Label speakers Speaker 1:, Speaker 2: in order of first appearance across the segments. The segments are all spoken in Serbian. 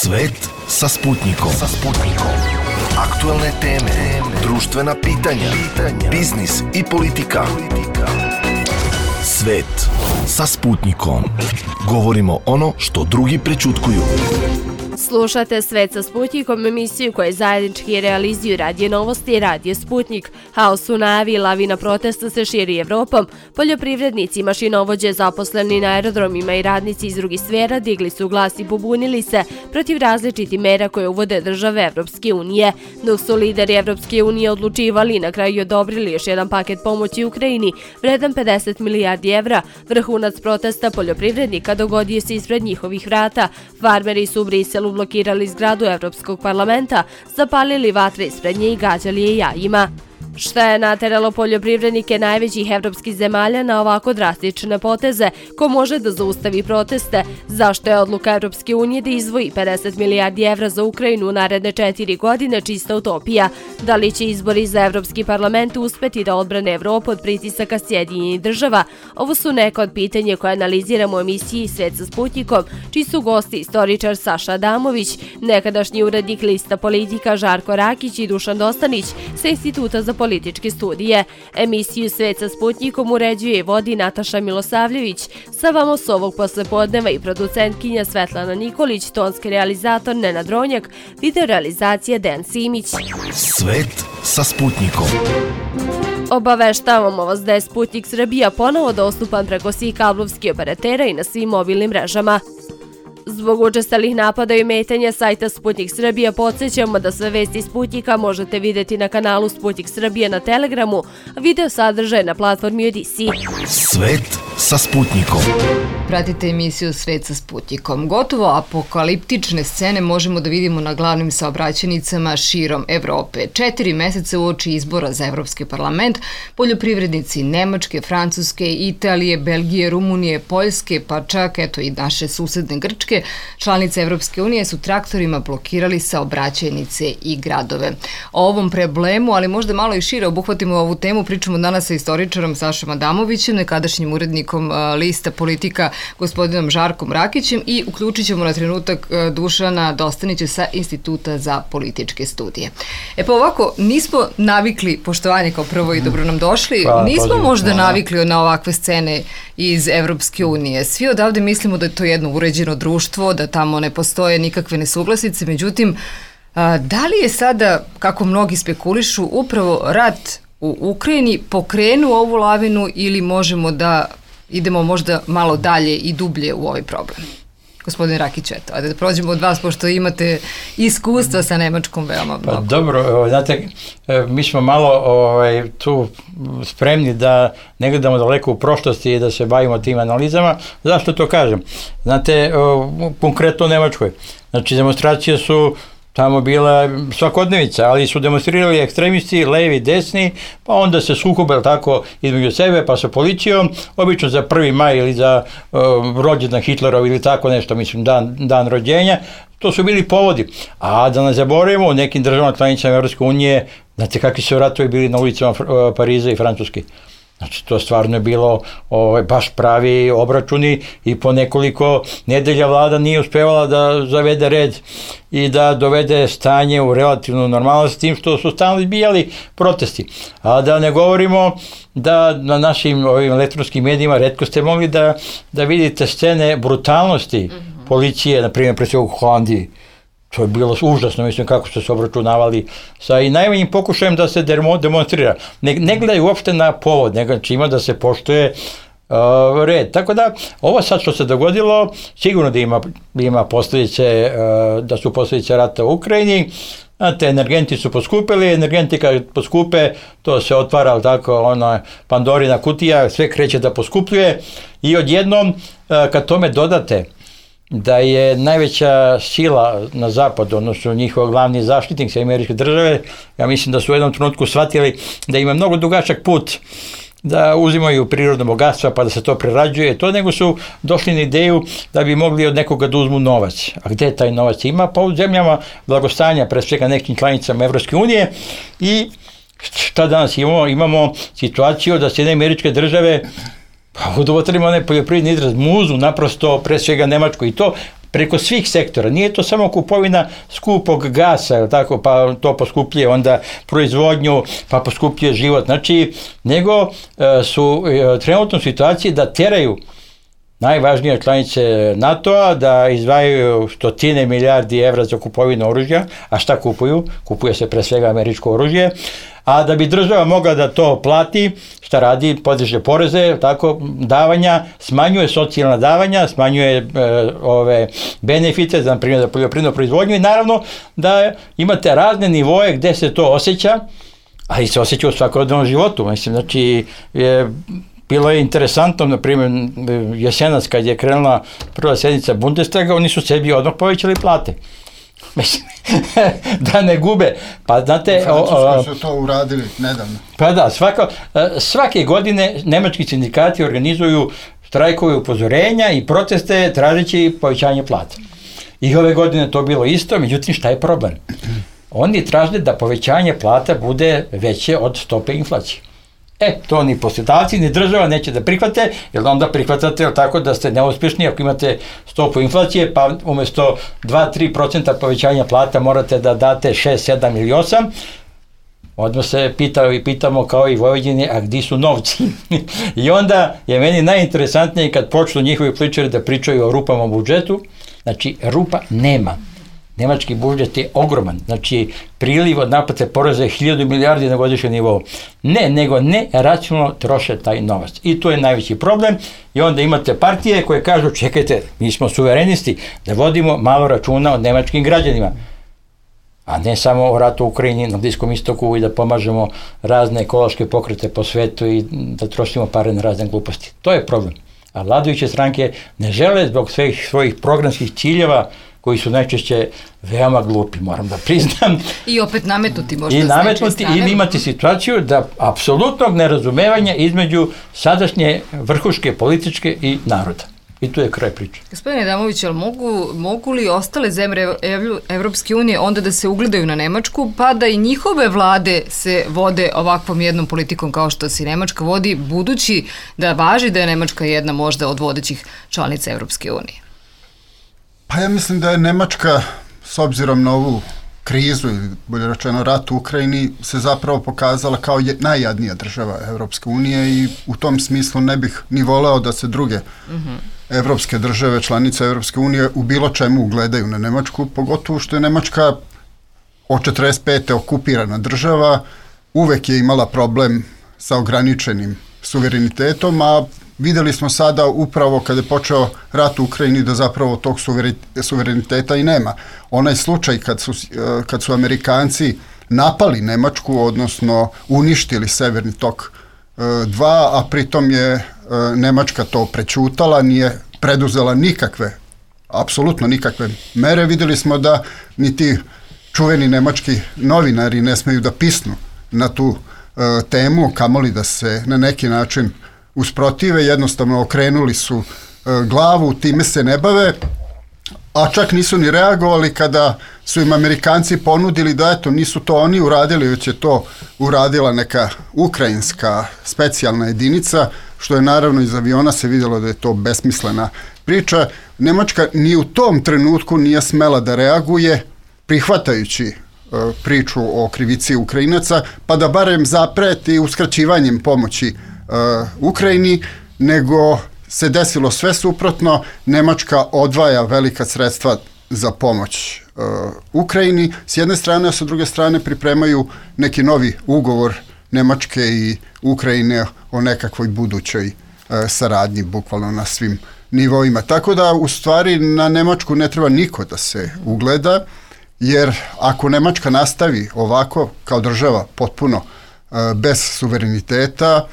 Speaker 1: Svet sa Sputnikom. Aktuelne teme, društvena pitanja, biznis i politika. Svet sa Sputnikom. Govorimo ono što drugi prećutkuju.
Speaker 2: Slušate Svet sa Sputnikom, emisiju koja zajednički realizuju Radio Novosti i Radio Sputnik. Haos u najavi, lavina protesta se širi Evropom. Poljoprivrednici, mašinovođe, zaposleni na aerodromima i radnici iz drugih sfera digli su glas i pobunili se protiv različitih mera koje uvode države Evropske unije. Dok su lideri Evropske unije odlučivali i na kraju odobrili još jedan paket pomoći Ukrajini, vredan 50 milijardi evra, vrhunac protesta poljoprivrednika dogodio se ispred njihovih vrata. Farmeri su u Briselu blokirali zgradu Evropskog parlamenta, zapalili vatre ispred nje i gađali je jajima. Šta je nateralo poljoprivrednike najvećih evropskih zemalja na ovako drastične poteze? Ko može da zaustavi proteste? Zašto je odluka Evropske unije da izdvoji 50 milijardi evra za Ukrajinu u naredne 4 godine čista utopija? Da li će izbori za Evropski parlament uspeti da odbrane Evropu od pritisaka Sjedinjenih država? Ovo su neka od pitanja koje analiziramo u emisiji Svet sa Sputnikom, čiji su gosti istoričar Saša Adamović, nekadašnji urednik Lista politika Žarko Rakić i Dušan Dostanić sa Instituta za političke studije. Emisiju Svet sa Sputnikom uređuje i vodi Nataša Milosavljević. Sa vama s ovog poslepodneva i producentkinja Svetlana Nikolić, tonski realizator Nenad Ronjak, video realizacija Dejan Simić.
Speaker 1: Svet sa Sputnikom.
Speaker 2: Obaveštavamo vas da je Sputnik Srbija ponovo dostupan preko svih kablovskih operatera i na svim mobilnim mrežama. Zbog učestalih napada i ometanja sajta Sputnik Srbija podsjećamo da sve vesti Sputnika možete vidjeti na kanalu Sputnik Srbija na Telegramu, a video sadržaj na platformi Odisi.
Speaker 1: Svet sa Sputnikom.
Speaker 3: Pratite emisiju Svet sa Sputnikom. Gotovo apokaliptične scene možemo da vidimo na glavnim saobraćajnicama širom Evrope. 4 meseca uoči izbora za Evropski parlament, poljoprivrednici Nemačke, Francuske, Italije, Belgije, Rumunije, Poljske, pa čak i naše susedne Grčke, članice Evropske unije su traktorima blokirali saobraćajnice i gradove. O ovom problemu, ali možda malo i šire obuhvatimo ovu temu, pričamo danas sa istoričarom Sašom Adamovićem, nekadašnjim urednikom Lista politika gospodinom Žarkom Rakićem i uključit ćemo na trenutak Dušana Dostanića sa Instituta za političke studije. Pa ovako, nismo navikli, poštovanje kao prvo i dobro nam došli, nismo možda navikli na ovakve scene iz Evropske unije. Svi odavde mislimo da je to jedno uređeno društvo, da tamo ne postoje nikakve nesuglasice, međutim, da li je sada, kako mnogi spekulišu, upravo rat u Ukrajini pokrenuo ovu lavinu ili možemo da idemo možda malo dalje i dublje u ovaj problem? Gospodin Rakić, da prođemo od vas, pošto imate iskustva sa Nemačkom veoma mnogo.
Speaker 4: Dobro, znate, mi smo malo tu spremni da ne gledamo daleko u prošlosti i da se bavimo tim analizama. Zašto to kažem? Znate, konkretno u Nemačkoj. Znači, demonstracije su tamo bila svakodnevica, ali su demonstrirali ekstremisti, levi, desni, pa onda se sukobe tako između sebe, pa sa policijom, obično za 1. maj ili za rođendan Hitlerov ili tako nešto, mislim, dan rođenja. To su bili povodi. A da ne zaboravimo, u nekim državama članicama Evropske unije, znate kakvi su ratovi bili na ulicama Pariza i Francuske. Znači, to stvarno je bilo baš pravi obračuni i po nekoliko nedelja vlada nije uspevala da zavede red i da dovede stanje u relativnu normalnost, tim što su stalno izbijali protesti. A da ne govorimo da na našim elektronskim medijima retko ste mogli da vidite scene brutalnosti policije, na primjer, pre svega u Holandiji. To je bilo užasno, mislim, kako su se obračunavali sa i najmanjim pokušajem da se demonstrira. Ne gledaju uopšte na povod, nego ima da se poštuje red. Tako da, ovo sad što se dogodilo, sigurno da ima posljedice, da su posljedice rata u Ukrajini. Znate, energenti su poskupili, energenti kad poskupe, to se otvara tako, ona Pandorina kutija, sve kreće da poskupljuje i odjednom, kad tome dodate da je najveća sila na zapadu, odnosno njihov glavni zaštitnik sa Američke države, ja mislim da su u jednom trenutku shvatili da ima mnogo dugačak put da uzimaju prirodno bogatstva pa da se to prerađuje, nego su došli na ideju da bi mogli od nekoga da uzmu novac. A gde taj novac ima? Pa u zemljama blagostanja, pre svega nekim članicama Evropske unije. I šta danas imamo? Imamo situaciju da Sjedinjene Američke Države, pa udovotvorimo onaj poljoprivredni izraz, muzu naprosto pre svega Nemačku i to preko svih sektora. Nije to samo kupovina skupog gasa, tako, pa to poskupljuje onda proizvodnju, pa poskupljuje život. Znači, nego su trenutno u situaciji da teraju najvažnije članice NATO-a da izdvajaju stotine milijardi evra za kupovinu oružja, a šta kupuju? Kupuje se pre svega američko oružje, a da bi država mogla da to plati, šta radi? Podiže poreze, tako, davanja, smanjuje socijalna davanja, smanjuje ove benefite, za primjer za poljoprivrednu proizvodnju i naravno da imate razne nivoje gde se to osjeća, ali se osjeća u svakodnevnom životu. Mislim, znači, bilo je interesantno, na primjer, jesenas kad je krenula prva sednica Bundestaga, oni su sebi odmah povećali plate. Mislim, da ne gube. Pa znate...
Speaker 5: U Francuskoj su to uradili nedavno.
Speaker 4: Pa da, svake godine nemački sindikati organizuju štrajkove upozorenja i proteste tražeći povećanje plata. I ove godine to bilo isto, međutim šta je problem? Oni traže da povećanje plata bude veće od stope inflacije. To ni poslodavci, ni država neće da prihvate, jer onda prihvatate tako da ste neuspješni ako imate stopu inflacije, pa umjesto 2-3% povećanja plata morate da date 6, 7 ili 8. Odmah se pitamo kao i Vojvodini, a gdje su novci? I onda je meni najinteresantnije kad počnu njihovi političari da pričaju o rupama u budžetu. Znači, rupa nema. Nemački budžet je ogroman, znači priliv od naplate poreza je 1000 milijardi na godišnjem nivou. Nego ne racionalno troše taj novac. I to je najveći problem. I onda imate partije koje kažu, čekajte, mi smo suverenisti, da vodimo malo računa o nemačkim građanima. A ne samo o ratu u Ukrajini, na Bliskom istoku i da pomažemo razne ekološke pokrete po svetu i da trošimo pare na razne gluposti. To je problem. A vladajuće stranke ne žele zbog svojih programskih ciljeva koji su najčešće veoma glupi, moram da priznam.
Speaker 3: I opet nametnuti možda
Speaker 4: i nametnuti ili imati situaciju da apsolutnog nerazumevanja između sadašnje vrhuške političke i naroda. I tu je kraj priče.
Speaker 3: Gospodine Adamović, ali mogu li ostale zemlje Evropske unije onda da se ugledaju na Nemačku, pa da i njihove vlade se vode ovakvom jednom politikom kao što se Nemačka vodi, budući da važi da je Nemačka jedna možda od vodećih članica Evropske unije?
Speaker 5: Pa ja mislim da je Nemačka, s obzirom na ovu krizu, ili bolje rečeno rat u Ukrajini, se zapravo pokazala kao najjadnija država Evropske unije i u tom smislu ne bih ni voleo da se druge evropske države, članice Evropske unije, u bilo čemu ugledaju na Nemačku, pogotovo što je Nemačka od 45. okupirana država, uvek je imala problem sa ograničenim suverenitetom, a videli smo sada upravo kada je počeo rat u Ukrajini da zapravo tog suvereniteta i nema. Onaj slučaj kad su Amerikanci napali Nemačku, odnosno uništili Severni tok 2, a pritom je Nemačka to prećutala, nije preduzela apsolutno nikakve mere. Videli smo da ni ti čuveni nemački novinari ne smeju da pisnu na tu temu, kamoli da se na neki način usprotive, jednostavno okrenuli su glavu, time se ne bave, a čak nisu ni reagovali kada su im Amerikanci ponudili da eto, nisu to oni uradili, već je to uradila neka ukrajinska specijalna jedinica, što je naravno iz aviona se vidjelo da je to besmislena priča. Nemačka ni u tom trenutku nije smela da reaguje, prihvatajući priču o krivici Ukrajinaca, pa da barem zapreti uskraćivanjem pomoći Ukrajini, nego se desilo sve suprotno. Nemačka odvaja velika sredstva za pomoć Ukrajini s jedne strane, a sa druge strane pripremaju neki novi ugovor Nemačke i Ukrajine o nekakvoj budućoj saradnji, bukvalno na svim nivoima. Tako da u stvari na Nemačku ne treba niko da se ugleda, jer ako Nemačka nastavi ovako kao država potpuno bez suvereniteta,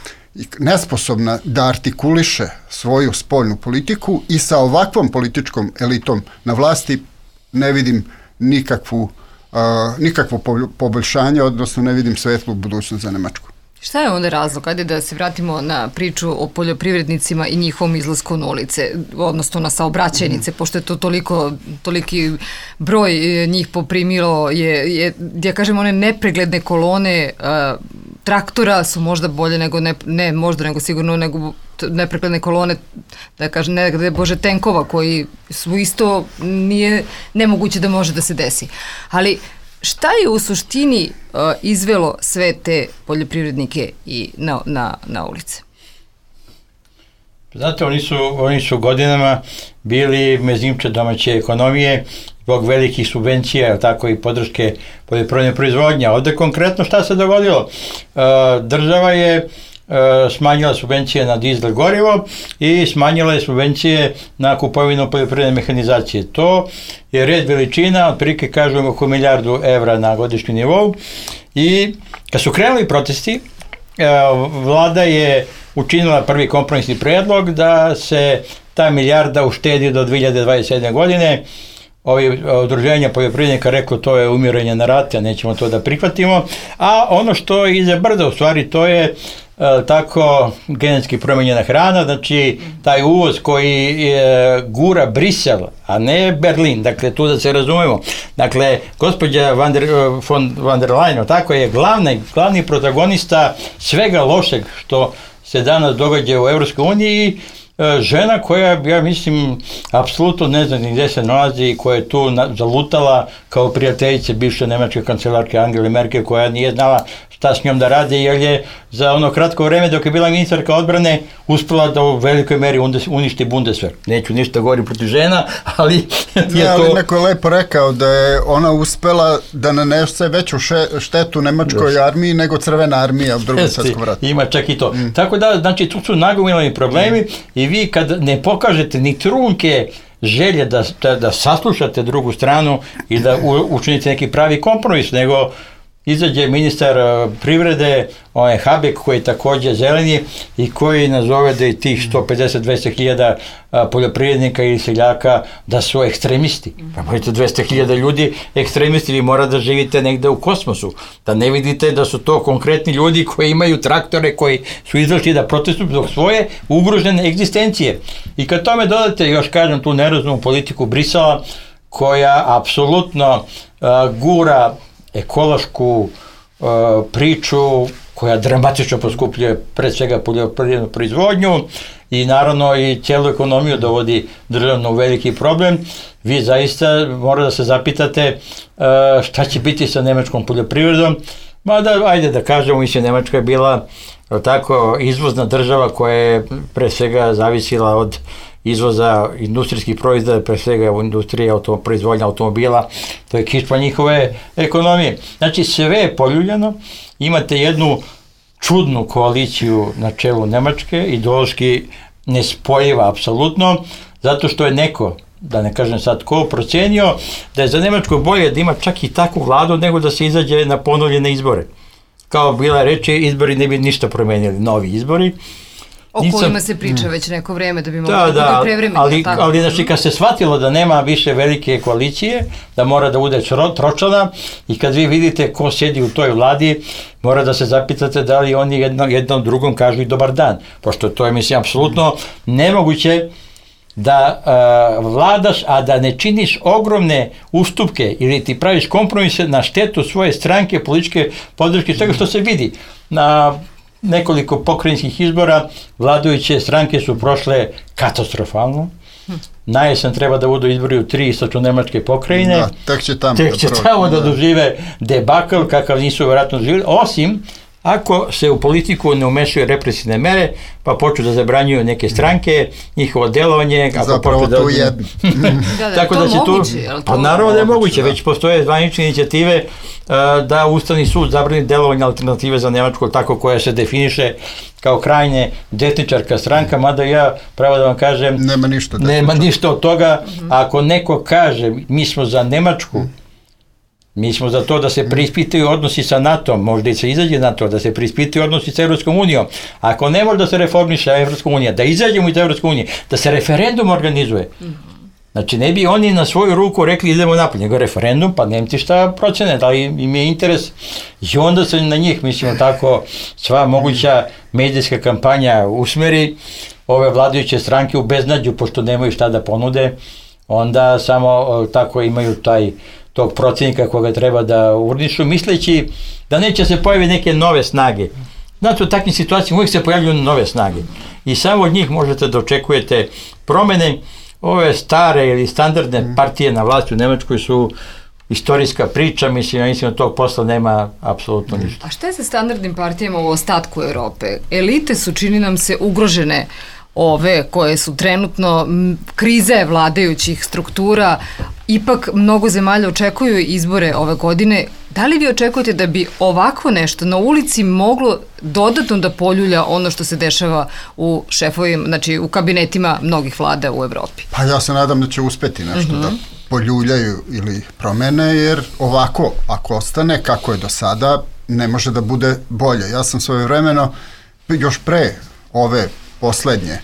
Speaker 5: nesposobna da artikuliše svoju spoljnu politiku i sa ovakvom političkom elitom na vlasti, ne vidim nikakvo poboljšanje, odnosno ne vidim svetlu budućnost za Nemačku.
Speaker 3: Šta je onda razlog? Ajde da se vratimo na priču o poljoprivrednicima i njihovom izlasku na ulice, odnosno na saobraćajnice, pošto je to toliki broj njih poprimilo, ja kažem, one nepregledne kolone traktora su možda bolje nego, ne možda, nego sigurno nego neprekladne kolone, da kažem, ne bože tenkova koji su isto nemoguće da može da se desi. Ali šta je u suštini izvelo sve te poljoprivrednike i na ulice?
Speaker 4: Znate, oni su godinama bili mezimče domaće ekonomije zbog velikih subvencija, tako i podrške poljoprivredne proizvodnje. Ovdje konkretno šta se dogodilo? Država je smanjila subvencije na dizel gorivo i smanjila je subvencije na kupovinu poljoprivredne mehanizacije. To je red veličina, otprilike kažemo oko 1 milijardu evra na godišnjem nivou. I kad su krenuli protesti, vlada je učinila prvi kompromisni predlog da se ta milijarda uštedi do 2027. godine. Ovi udruženja poljoprivrednika rekao to je umiranje na rate, nećemo to da prihvatimo, a ono što je iza brda u stvari to je tako genetski promenjena hrana, znači taj uvoz koji gura Brisel, a ne Berlin, dakle tu da se razumemo. Dakle, gospođa von der Leyen, tako je glavni protagonista svega lošeg što se danas događa u Evropskoj uniji, žena koja, ja mislim, apsolutno ne zna gdje se nalazi i koja je tu zalutala kao prijateljice bivše nemačke kancelarke Angele Merkel, koja nije znala šta s njom da radi, jer je za ono kratko vreme dok je bila ministarka odbrane uspela da u velikoj meri uništi Bundeswehr. Neću ništa govoriti protiv žena, ali je
Speaker 5: ali
Speaker 4: to...
Speaker 5: neko je lepo rekao da je ona uspela da nanese veću štetu nemačkoj armiji nego Crvena armija u Drugom svjetskom ratu.
Speaker 4: Ima čak i to. Tako da, znači, tu su nagomilani problemi i vi kad ne pokažete ni trunke želje da saslušate drugu stranu i da učinite neki pravi kompromis, nego izađe ministar privrede, Habeck, koji je također zeleni i koji nazove da je tih 150-200 hiljada poljoprivrednika ili seljaka da su ekstremisti. Pa možete 200 hiljada ljudi ekstremisti, vi mora da živite negde u kosmosu, da ne vidite da su to konkretni ljudi koji imaju traktore, koji su izašli da protestuju zbog svoje ugrožene egzistencije. I kad tome dodate, još kažem, tu nerazumnu politiku Brisela, koja apsolutno gura ekološku priču koja dramatično poskupljuje pred svega poljoprivrednu proizvodnju i naravno i cijelu ekonomiju dovodi državno u veliki problem. Vi zaista morate da se zapitate šta će biti sa nemačkom poljoprivredom. Mada, ajde da kažemo, mislim, Nemačka je bila tako izvozna država koja je pre svega zavisila od izvoza industrijskih proizvoda, pre svega u industriji proizvodnja automobila, to je kičma njihove ekonomije. Znači, sve je poljuljano, imate jednu čudnu koaliciju na čelu Nemačke, ideološki nespojiva apsolutno, zato što je neko, da ne kažem sad ko, procenio da je za Nemačku bolje da ima čak i takvu vladu nego da se izađe na ponovljene izbore. Kao bila reči, izbori ne bi ništa promenili, novi izbori.
Speaker 3: O kojima se priča već neko vreme da bi mogli da bude prevremeni.
Speaker 4: Ali znači kad se shvatilo da nema više velike koalicije, da mora da bude tročlana i kad vi vidite ko sjedi u toj vladi, mora da se zapitate da li oni jednom drugom kažu i dobar dan. Pošto to je, mislim, apsolutno nemoguće da vladaš, a da ne činiš ogromne ustupke ili ti praviš kompromise na štetu svoje stranke, političke podrške, svega što se vidi. Na nekoliko pokrajinskih izbora vladajuće stranke su prošle katastrofalno. Na jesen treba da budu izbori u 3 istočno-nemačke pokrajine.
Speaker 5: Da, tek će
Speaker 4: tamo da dožive debakl kakav nisu vjerojatno doživjeli, osim ako se u politiku ne umešaju represivne mere, pa počnu da zabranjuju neke stranke, njihovo delovanje.
Speaker 5: Zapravo to jedno.
Speaker 3: Tako da će moguće,
Speaker 4: pa naravno da je moguće, već postoje zvanične inicijative da Ustavni sud zabrani delovanje alternative za Nemačku, tako koja se definiše kao krajnje desničarska stranka, mada ja, pravo da vam kažem, nema ništa od toga. Ako neko kaže mi smo za Nemačku, mi smo za to da se preispitaju odnosi sa NATO-om, možda i se izađe NATO, da se preispitaju odnosi sa Evropskom unijom. Ako ne može da se reformiše Evropska unija, da izađemo iz Evropske unije, da se referendum organizuje. Znači, ne bi oni na svoju ruku rekli idemo napolje, nego referendum, pa Nemci šta procene, da li im je interes. I onda se na njih, mislimo tako, sva moguća medijska kampanja usmeri, ove vladajuće stranke u beznađu, pošto nemaju šta da ponude, onda samo tako imaju tog protivnika koga treba da urnišu, misleći da neće se pojaviti neke nove snage. Znači, u takvim situacijama uvijek se pojavljuju nove snage. I samo od njih možete da očekujete promene. Ove stare ili standardne partije na vlasti u Nemačkoj su istorijska priča, mislim da tog posla nema apsolutno ništa.
Speaker 3: A šta je sa standardnim partijama u ostatku Evrope? Elite su, čini nam se, ugrožene, ove koje su trenutno krize vladajućih struktura. Ipak mnogo zemalja očekuju izbore ove godine. Da li vi očekujete da bi ovakvo nešto na ulici moglo dodatno da poljulja ono što se dešava u šefovima, znači u kabinetima mnogih vlada u Evropi?
Speaker 5: Pa ja se nadam da će uspeti nešto da poljuljaju ili promene, jer ovako, ako ostane kako je do sada, ne može da bude bolje. Ja sam svojevremeno, još pre ove poslednje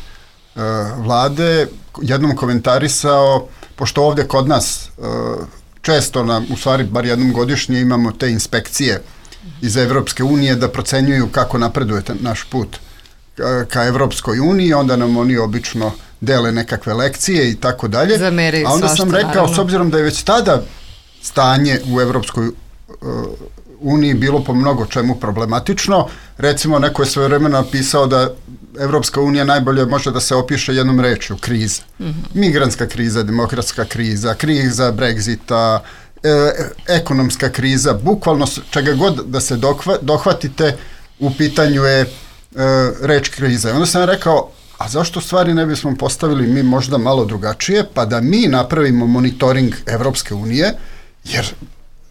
Speaker 5: vlade, jednom komentarisao, pošto ovde kod nas često, u stvari bar jednom godišnje, imamo te inspekcije iz Evropske unije da procenjuju kako napreduje naš put ka Evropskoj uniji, onda nam oni obično dele nekakve lekcije i tako dalje. A onda sam rekao, s obzirom da je već tada stanje u Evropskoj uniji bilo po mnogo čemu problematično, recimo neko je svojevremeno napisao da Evropska unija najbolje može da se opiše jednom rečju, kriza. Migrantska kriza, demokratska kriza, kriza Brexita, ekonomska kriza, bukvalno čega god da se dohvatite, u pitanju je reč kriza. Onda sam rekao, a zašto stvari ne bismo postavili mi možda malo drugačije, pa da mi napravimo monitoring Evropske unije, jer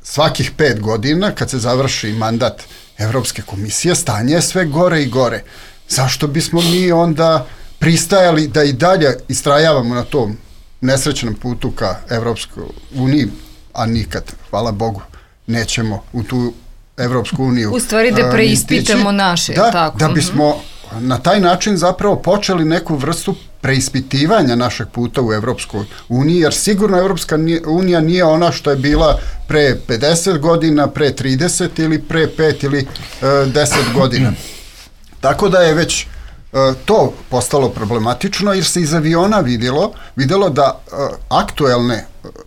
Speaker 5: svakih 5 godina, kad se završi mandat Evropske komisije, stanje je sve gore i gore. Zašto bismo mi onda pristajali da i dalje istrajavamo na tom nesrećnom putu ka Evropskoj uniji, a nikad, hvala Bogu, nećemo u tu Evropsku uniju.
Speaker 3: U stvari da preispitamo naše, tako?
Speaker 5: Da bismo na taj način zapravo počeli neku vrstu preispitivanja našeg puta u Evropskoj uniji, jer sigurno Evropska unija nije ona što je bila pre 50 godina, pre 30 ili pre 5 ili 10 godina. Tako da je već to postalo problematično, jer se iz aviona vidjelo da aktuelne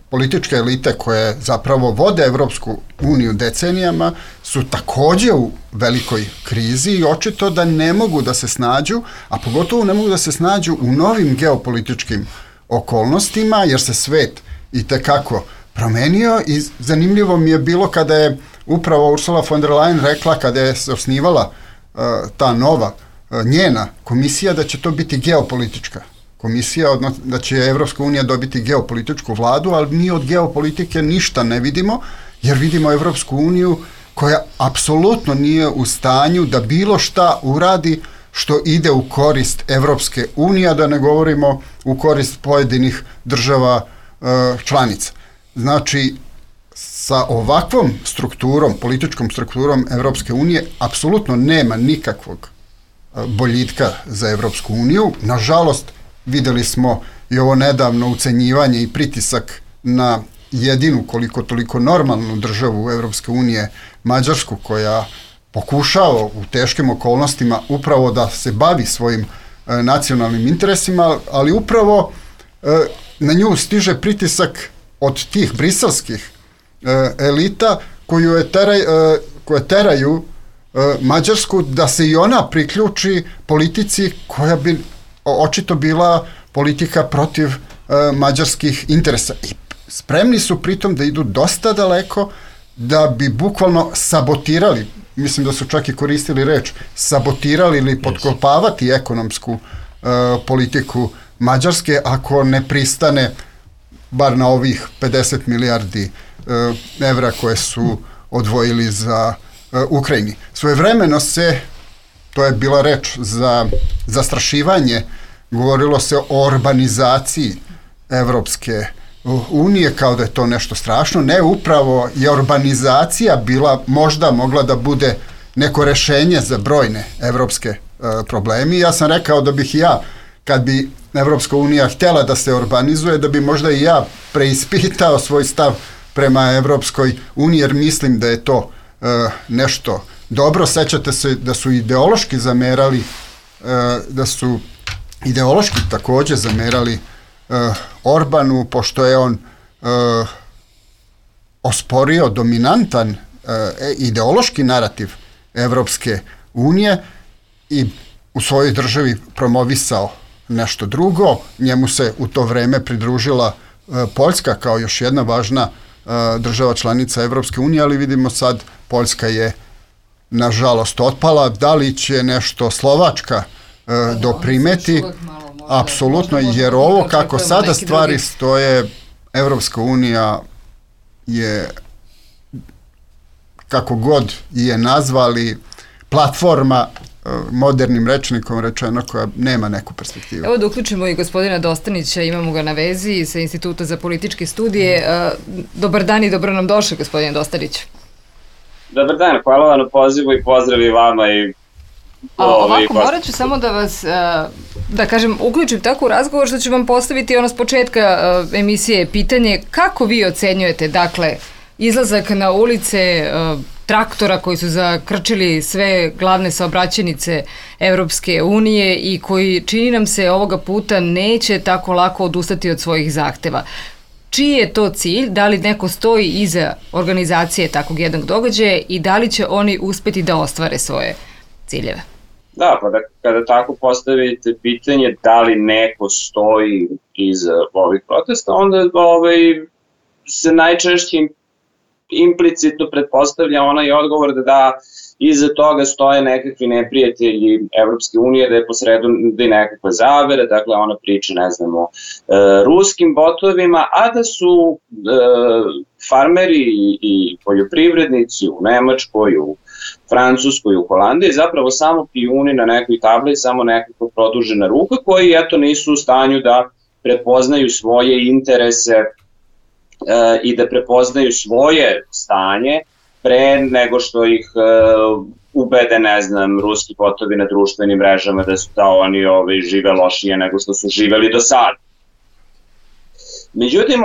Speaker 5: političke elite koje zapravo vode Evropsku uniju decenijama su takođe u velikoj krizi i očito da ne mogu da se snađu, a pogotovo ne mogu da se snađu u novim geopolitičkim okolnostima, jer se svet i tekako promenio i zanimljivo mi je bilo kada je upravo Ursula von der Leyen rekla, kada je se osnivala ta nova njena komisija, da će to biti geopolitička komisija, odnosno da će Evropska unija dobiti geopolitičku vladu, ali mi od geopolitike ništa ne vidimo, jer vidimo Evropsku uniju koja apsolutno nije u stanju da bilo šta uradi što ide u korist Evropske unije, da ne govorimo u korist pojedinih država članica. Znači, sa ovakvom strukturom, političkom strukturom Evropske unije, apsolutno nema nikakvog boljitka za Evropsku uniju. Nažalost, videli smo i ovo nedavno ucenjivanje i pritisak na jedinu koliko toliko normalnu državu Evropske unije, Mađarsku, koja pokušava u teškim okolnostima upravo da se bavi svojim nacionalnim interesima, ali upravo na nju stiže pritisak od tih briselskih elita koje teraju Mađarsku da se i ona priključi politici koja bi očito bila politika protiv mađarskih interesa. I spremni su pritom da idu dosta daleko da bi bukvalno sabotirali, mislim da su čak i koristili reč, sabotirali ili potkopavati ekonomsku politiku Mađarske ako ne pristane bar na ovih 50 milijardi evra koje su odvojili za Ukrajini. Svojevremeno se, to je bila reč za zastrašivanje, govorilo se o urbanizaciji Evropske unije, kao da je to nešto strašno. Ne, upravo je urbanizacija možda mogla da bude neko rešenje za brojne evropske problemi. Ja sam rekao da bih ja, kad bi Evropska unija htjela da se urbanizuje, da bi možda i ja preispitao svoj stav prema Evropskoj uniji, jer mislim da je to nešto dobro. Sećate se da su ideološki zamerali, takođe zamerali Orbanu, pošto je on osporio dominantan ideološki narativ Evropske unije i u svojoj državi promovisao nešto drugo. Njemu se u to vreme pridružila Poljska kao još jedna važna država članica Evropske unije, ali vidimo sad Poljska je nažalost otpala. Da li će nešto Slovačka doprimeti? Apsolutno, jer ovo kako sada stvari stoje, Evropska unija je, kako god je nazvali, platforma, modernim rečnikom rečeno, koja nema neku perspektivu.
Speaker 3: Evo da uključimo i gospodina Dostanića, imamo ga na vezi sa Instituta za političke studije. Dobar dan i dobro nam došli, gospodine Dostanić.
Speaker 6: Dobar dan, hvala vam na pozivu i pozdrav i vama i
Speaker 3: ovako, morat ću samo da vas, da kažem, uključim tako u razgovor što ću vam postaviti ono s početka emisije pitanje kako vi ocenjujete, dakle, izlazak na ulice traktora koji su zakrčili sve glavne saobraćajnice Evropske unije i koji, čini nam se, ovoga puta neće tako lako odustati od svojih zahteva. Čiji je to cilj? Da li neko stoji iza organizacije takvog jednog događaja i da li će oni uspeti da ostvare svoje ciljeve?
Speaker 6: Da, pa kada tako postavite pitanje da li neko stoji iza ovih protesta, onda se najčešće implicitno pretpostavlja onaj odgovor da iza toga stoje nekakvi neprijatelji Evropske unije, da je posredu da je nekakva zavere, dakle ona priča, ne znamo, ruskim botovima, a da su farmeri i poljoprivrednici u Nemačkoj, u Francuskoj, u Holandiji zapravo samo pijuni na nekoj tabli, samo nekakva produžena ruka koji eto nisu u stanju da prepoznaju svoje interese i da prepoznaju svoje stanje pre nego što ih ubede, ne znam, ruski botovi na društvenim mrežama da oni žive lošije nego što su živeli do sada. Međutim,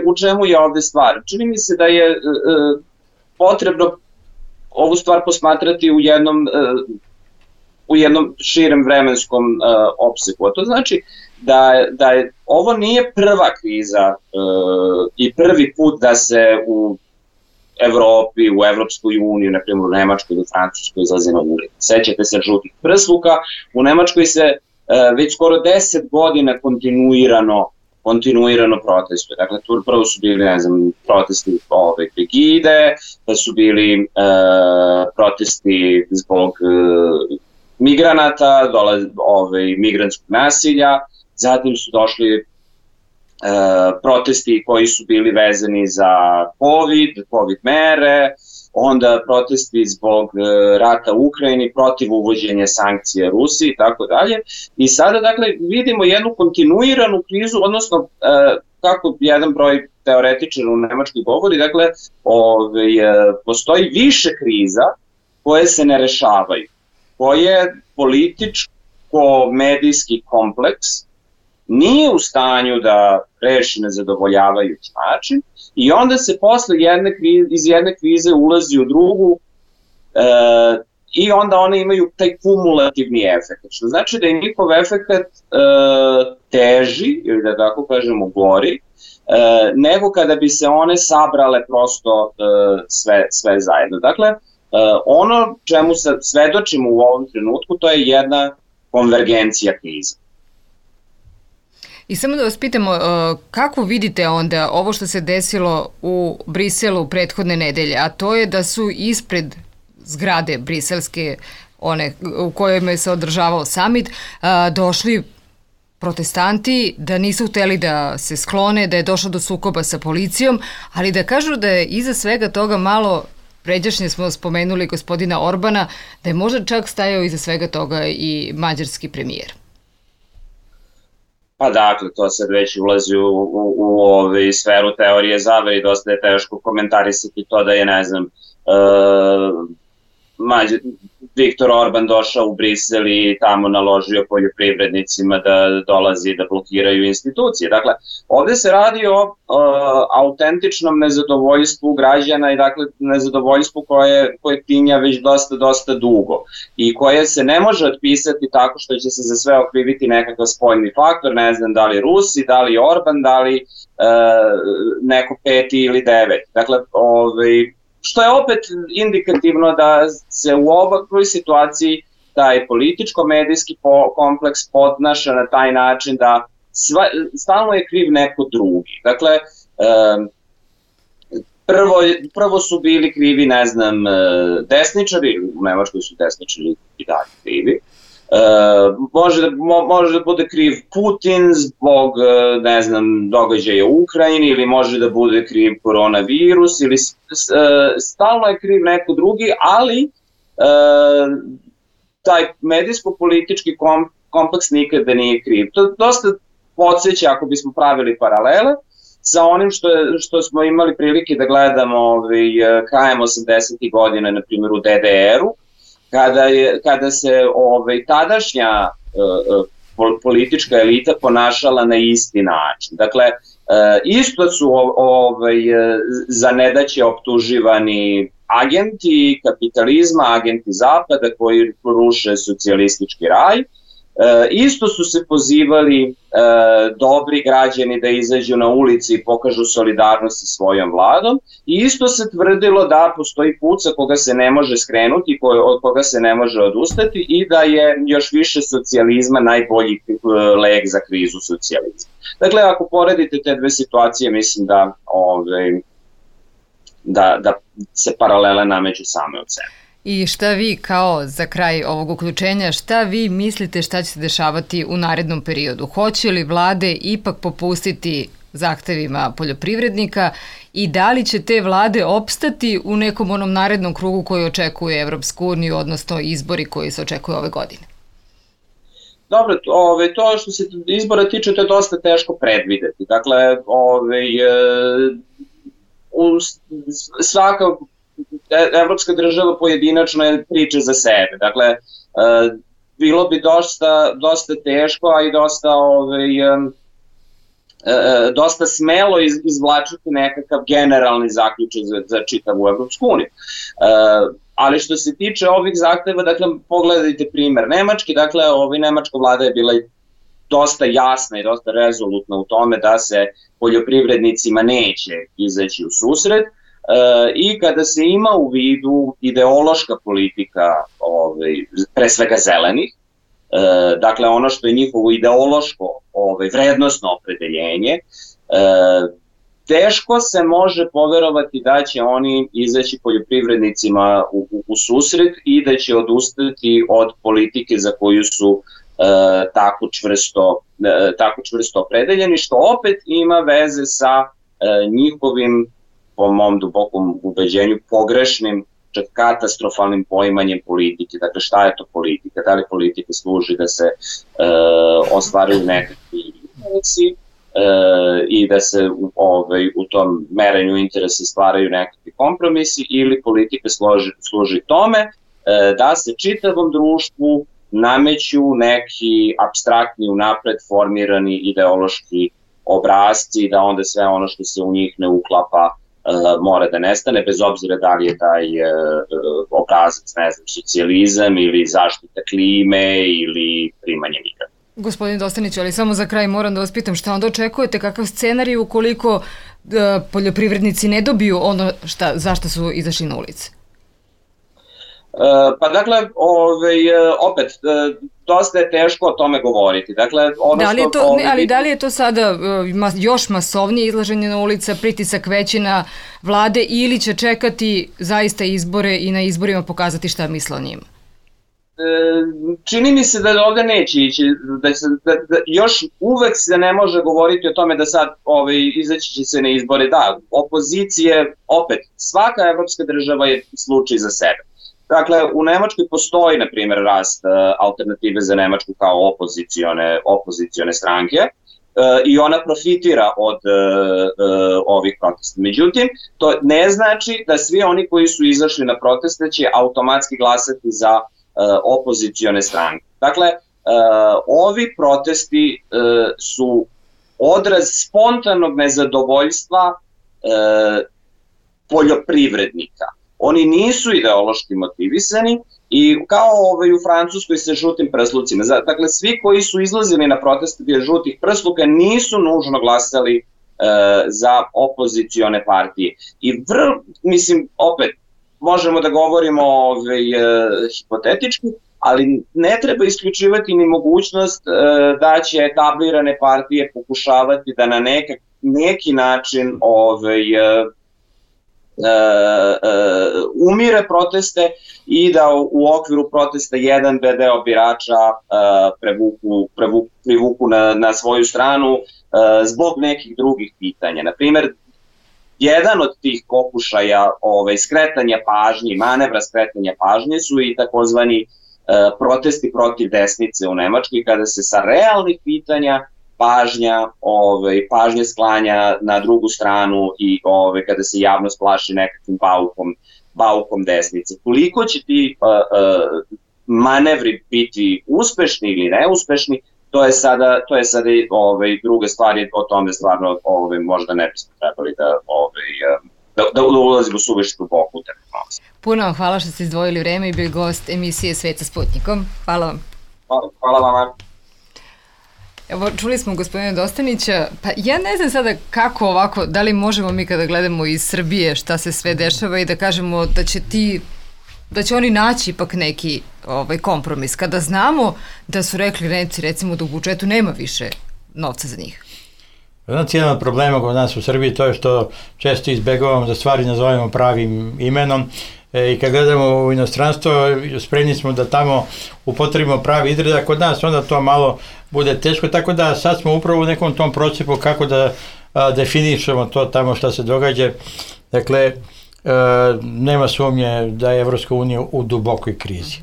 Speaker 6: u čemu je ovde stvar? Čini mi se da je potrebno ovu stvar posmatrati u jednom širem vremenskom opseku. A to znači da je ovo nije prva kriza i prvi put da se u Evropi, u Evropskoj uniji, na primjer u Nemačkoj ili Francuskoj izlazi na ulicu. Sećate se žutih prsluka, u Nemačkoj se već skoro 10 godina kontinuirano protestuje. Dakle, prvo su bili, ne znam, protesti Pegide, da su bili protesti zbog migranata, migrantskog nasilja, zatim su došli protesti koji su bili vezani za COVID mere, onda protesti zbog rata u Ukrajini, protiv uvođenja sankcije Rusiji i tako dalje. I sada, dakle, vidimo jednu kontinuiranu krizu, odnosno, kako jedan broj teoretičara u Nemačkoj govori, dakle, postoji više kriza koje se ne rešavaju, koje političko-medijski kompleks nije u stanju da reši na zadovoljavajući način i onda se posle iz jedne krize ulazi u drugu i onda one imaju taj kumulativni efekt. Što znači da je njihov efekt teži, ili da tako kažemo gori, nego kada bi se one sabrale prosto sve zajedno. Dakle, ono čemu se svedočimo u ovom trenutku, to je jedna konvergencija kriza.
Speaker 3: I samo da vas pitamo, kako vidite onda ovo što se desilo u Briselu prethodne nedelje, a to je da su ispred zgrade briselske, one u kojoj se održavao samit, došli protestanti, da nisu hteli da se sklone, da je došlo do sukoba sa policijom, ali da kažu da je iza svega toga malo, pređašnje smo spomenuli gospodina Orbana, da je možda čak stajao iza svega toga i mađarski premijer.
Speaker 6: Pa dakle, to sad već ulazi u sferu teorije zavere i dosta je teško komentarisati to da je, ne znam, Viktor Orban došao u Brisel i tamo naložio poljoprivrednicima da dolazi da blokiraju institucije. Dakle, ovde se radi o autentičnom nezadovoljstvu građana i dakle nezadovoljstvu koje tinja već dosta dugo i koje se ne može otpisati tako što će se za sve okriviti nekakav spoljni faktor, ne znam da li Rusi, da li Orban, da li neko peti ili devet. Dakle, što je opet indikativno da se u ovakvoj situaciji taj političko-medijski kompleks podnaša na taj način da stalno je kriv neko drugi. Dakle, prvo su bili krivi, ne znam, desničari, u Nemačkoj su desničari i dalje krivi. Može da bude kriv Putin zbog, ne znam, događaja u Ukrajini ili može da bude kriv koronavirus ili stalno je kriv neko drugi, ali taj medijsko-politički kompleks nikada nije kriv. To dosta podsjeća, ako bismo pravili paralele, sa onim što smo imali prilike da gledamo krajem 80. godina, na primjer u DDR-u, kada se tadašnja politička elita ponašala na isti način. Dakle, isto su za nedaće optuživani agenti kapitalizma, agenti zapada koji ruše socijalistički raj. Isto su se pozivali dobri građani da izađu na ulici i pokažu solidarnost sa svojom vladom i isto se tvrdilo da postoji put sa koga se ne može skrenuti, od koga se ne može odustati i da je još više socijalizma najbolji lek za krizu socijalizma. Dakle, ako poredite te dve situacije, mislim da se paralele nameću same od sebe.
Speaker 3: I šta vi, kao za kraj ovog uključenja, šta vi mislite šta će se dešavati u narednom periodu? Hoće li vlade ipak popustiti zahtevima poljoprivrednika i da li će te vlade opstati u nekom onom narednom krugu koji očekuje Evropsku uniju, odnosno izbori koji se očekuju ove godine?
Speaker 6: Dobro, to što se izbora tiče, to je dosta teško predvideti. Dakle, svaka evropska država pojedinačno je priča za sebe. Dakle, bilo bi dosta teško, a i dosta smelo izvlačiti nekakav generalni zaključak za čitavu Evropsku uniju. Ali što se tiče ovih zahteva, dakle, pogledajte primer Nemački, dakle, nemačka vlada je bila dosta jasna i dosta rezolutna u tome da se poljoprivrednicima neće izaći u susret, i kada se ima u vidu ideološka politika, pre svega zelenih, dakle ono što je njihovo ideološko vrednosno opredeljenje, teško se može poverovati da će oni izaći poljoprivrednicima u susret i da će odustati od politike za koju su tako čvrsto opredeljeni, što opet ima veze sa njihovim, po mom dubokom ubeđenju, pogrešnim, čak katastrofalnim poimanjem politike. Dakle, šta je to politika? Da li politika služi da se ostvaruju nekakvi interesi i da se u tom merenju interesa stvaraju nekakvi kompromisi, ili politika služi tome da se čitavom društvu nameću neki apstraktni, unapred formirani ideološki obrasci, da onda sve ono što se u njih ne uklapa mora da nestane, bez obzira da li je taj obrazac, ne znam, socijalizam ili zaštita klime ili primanje migranta.
Speaker 3: Gospodin Dostanić, ali samo za kraj moram da vas pitam šta onda očekujete, kakav scenarij ukoliko poljoprivrednici ne dobiju ono zašto su izašli na ulice?
Speaker 6: Pa dakle, opet, dosta je teško o tome govoriti. Dakle,
Speaker 3: da li je to sada još masovnije izlaženje na ulica, pritisak veći na vlade, ili će čekati zaista izbore i na izborima pokazati šta misle o njima?
Speaker 6: Čini mi se da ovde neće ići, da još uvek se ne može govoriti o tome da sad izaći će se na izbore. Da, opozicije, opet, svaka evropska država je slučaj za sebe. Dakle, u Nemačkoj postoji, na primjer, rast Alternative za Nemačku kao opozicione stranke. i ona profitira od ovih protesta. Međutim, to ne znači da svi oni koji su izašli na proteste će automatski glasati za opozicione stranke. Dakle, ovi protesti su odraz spontanog nezadovoljstva poljoprivrednika. Oni nisu ideološki motivisani i kao u Francuskoj sa žutim prslucima. Dakle, svi koji su izlazili na proteste bez žutih prsluka nisu nužno glasali za opozicione partije. I mislim, opet, možemo da govorimo hipotetički, ali ne treba isključivati ni mogućnost da će etablirane partije pokušavati da na neki način umire proteste i da u okviru protesta jedan deo birača privuku na svoju stranu zbog nekih drugih pitanja. Naprimjer, jedan od tih pokušaja skretanja pažnje, manevra skretanja pažnje su i takozvani protesti protiv desnice u Nemačkoj, kada se sa realnih pitanja pažnja sklanja na drugu stranu i kada se javnost plaši nekakvim baukom desnice. Koliko će ti manevri biti uspešni ili neuspešni, to je sada druga stvar, o tome stvarno možda ne bismo trebali da ulazimo suviše duboko u terminologiju.
Speaker 3: Puno vam hvala što ste izdvojili vreme i bili gost emisije Svet sa Sputnikom. Hvala vam.
Speaker 6: Hvala vama.
Speaker 3: Evo, čuli smo gospodina Dostanića, pa ja ne znam sada kako ovako, da li možemo mi kada gledamo iz Srbije šta se sve dešava i da kažemo da će oni naći ipak neki kompromis, kada znamo da su rekli Nemci recimo da u budžetu nema više novca za njih.
Speaker 4: Znači, jedan od problema kod nas u Srbiji to je što često izbegavamo da stvari nazovemo pravim imenom i kad gledamo u inostranstvo spremni smo da tamo upotrebimo pravi izraz, a kod nas onda to malo bude teško, tako da sad smo upravo u nekom tom procepu kako da definišemo to tamo šta se događa. Dakle, nema sumnje da je Evropska unija u dubokoj krizi.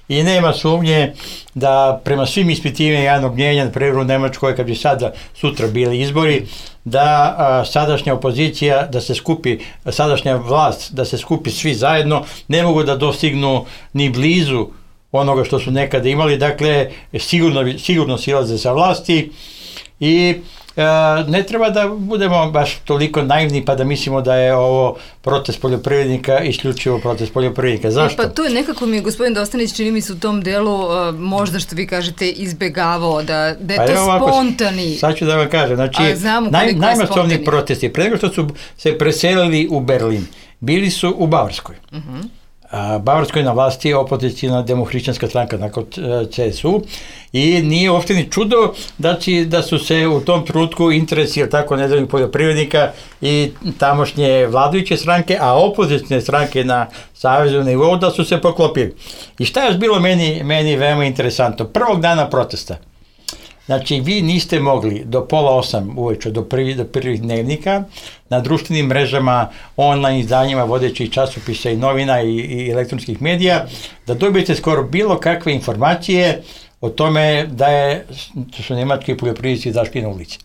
Speaker 4: I nema sumnje da prema svim ispitivanjima javnog mnjenja, na primjer u Nemačkoj, kad bi sada sutra bili izbori, da sadašnja opozicija, da se skupi, sadašnja vlast, da se skupi svi zajedno, ne mogu da dostignu ni blizu onoga što su nekada imali, dakle sigurno silaze sa vlasti i ne treba da budemo baš toliko naivni pa da mislimo da je ovo protest poljoprivrednika, isključivo protest poljoprivrednika. Zašto?
Speaker 3: Pa tu je nekako mi gospodin Dostanić, čini mi se u tom delu, možda što vi kažete, izbegavao da je to spontani.
Speaker 4: Sad ću da vam kažem, znači najmasovniji protesti, pre nego što su se preselili u Berlin, bili su u Bavarskoj. Bavarskoj na vlasti je opozicijna demohrišćanska stranka nakon CSU i nije uopšte ni čudo da su se u tom trenutku interesi tako nezavisnih poljoprivrednika i tamošnje vladajuće stranke, a opozicijne stranke na savezu nivou da su se poklopili. I šta je bilo meni veoma interesantno? Prvog dana protesta, znači vi niste mogli do 7:30 uveče, do prvih dnevnika, na društvenim mrežama, online izdanjima, vodećih časopisa i novina i elektronskih medija, da dobijete skoro bilo kakve informacije o tome da su nemački poljoprivrednici izašli na ulici.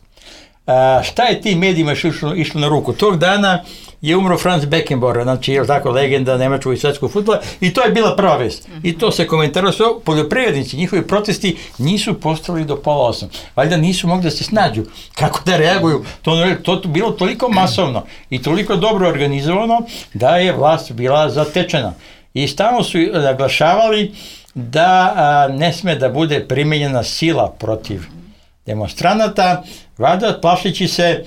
Speaker 4: Šta je tim medijima išlo na ruku? Tog dana je umro Franz Beckenbauer, znači je tako legenda nemačkog i svetskog fudbala i to je bila prva vest. I to se komentarilo sve, poljoprivrednici, njihovi protesti nisu postali do 7:30. Valjda nisu mogli da se snađu kako da reaguju. To bilo toliko masovno i toliko dobro organizovano da je vlast bila zatečena. I stalno su naglašavali da ne sme da bude primenjena sila protiv demonstranata, valjda plašići se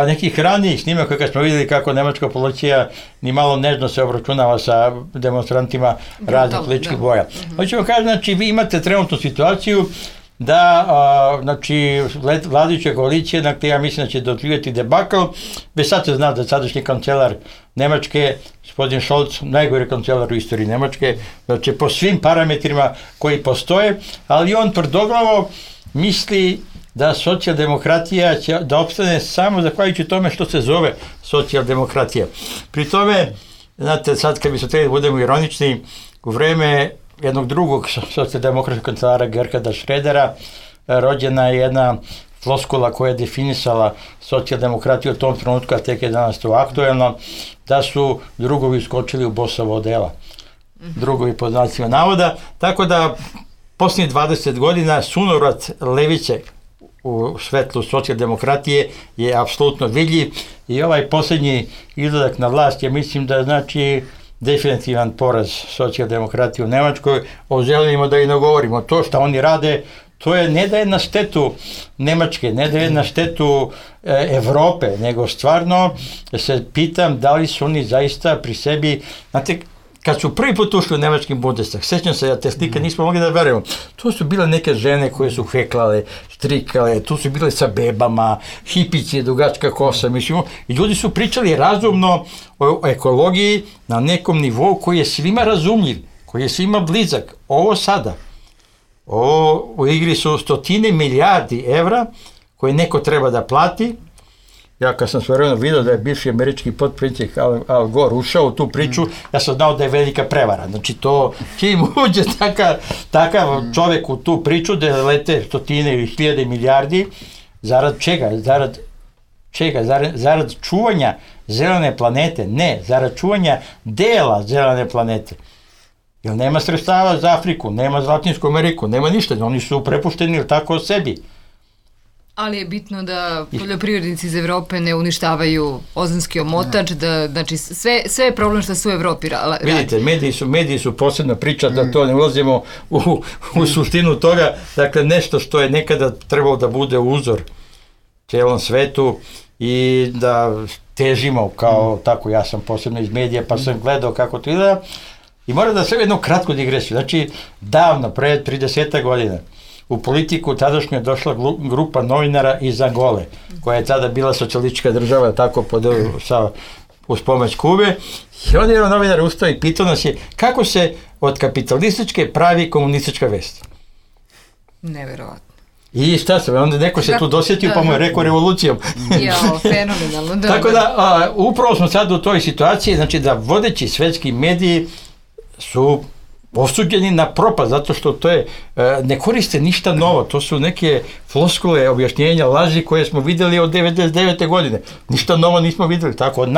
Speaker 4: nekih ranijih snimaka kad smo vidjeli kako nemačka policija ni malo nežno se obračunava sa demonstrantima raznih političkih boja. Hoću vam kažem, znači vi imate trenutnu situaciju da znači vladajuća koalicija, dakle ja mislim da će doživjeti debakl, već sad se zna da sadašnji kancelar Nemačke, gospodin Scholz, najgori kancelar u istoriji Nemačke, znači po svim parametrima koji postoje, ali on tvrdoglavo misli da socijaldemokratija će da opstane samo zahvaljujući tome što se zove socijaldemokratija. Pri tome, znate, sad kad bi se trebali budemo ironični, u vreme jednog drugog socijaldemokratskog kancelara Gerharda Schrödera rođena je jedna floskula koja je definisala socijaldemokratiju u tom trenutku, a tek je danas to aktuelno, da su drugovi skočili u Bosovo odela. Drugovi pod znacima navoda, tako da posljednjih 20 godina sunovrat levice u svetlu socijaldemokratije je apsolutno vidljiv i ovaj posljednji izlazak na vlast je, mislim da znači definitivan poraz socijaldemokratije u Nemačkoj. O zelenima da i ne govorimo. To što oni rade, to je ne da je na štetu Nemačke, ne da je na štetu Evrope, nego stvarno se pitam da li su oni zaista pri sebi, znate, kad su prvi put ušli u nemački Bundestag, sećam se, ja te slike nismo mogli da verujemo, tu su bile neke žene koje su heklale, štrikale, tu su bile sa bebama, hipići, dugačka kosa, mislim, i ljudi su pričali razumno o ekologiji na nekom nivou koji je svima razumljiv, koji je svima blizak. Ovo sada, u igri su 100 milijardi evra koje neko treba da plati. Ja kad sam svojevremeno vidio da je bivši američki potpredsjednik Al Gore ušao u tu priču, ja sam znao da je velika prevara. Znači to, čim uđe takav čovjek u tu priču da lete 100 ili 1000 milijardi, zarad čega? Zarad čuvanja zelene planete? Ne, zarad čuvanja dela zelene planete. Jer nema sredstava za Afriku, nema za Latinsku Ameriku, nema ništa, oni su prepušteni tako sebi.
Speaker 3: Ali je bitno da poljoprivrednici iz Evrope ne uništavaju ozonski omotač, da, znači sve je problem što su u Evropi radi.
Speaker 4: Vidite, mediji su posebna priča, da to ne ulazimo u suštinu toga, dakle nešto što je nekada trebalo da bude uzor cijelom svetu i da težimo kao tako, ja sam posebno iz medija pa sam gledao kako to izgleda i moram da sve jednu kratku digresiju, znači davno, pre 30 godina, u politiku tadašnju je došla grupa novinara iz Angole, koja je tada bila socijalistička država, tako uz pomoć Kube. I onda je novinar ustao i pitao nas je kako se od kapitalističke pravi komunistička vest.
Speaker 3: Neverovatno.
Speaker 4: I šta se, onda neko se tu dosjetio pa mu je rekao revolucijom.
Speaker 3: Jao, fenomenalno.
Speaker 4: Tako da, upravo smo sad u toj situaciji, znači da vodeći svetski mediji su osuđeni na propast, zato što to je, ne koriste ništa novo, to su neke floskule, objašnjenja, laži koje smo vidjeli od 99. godine. Ništa novo nismo vidjeli, tako, od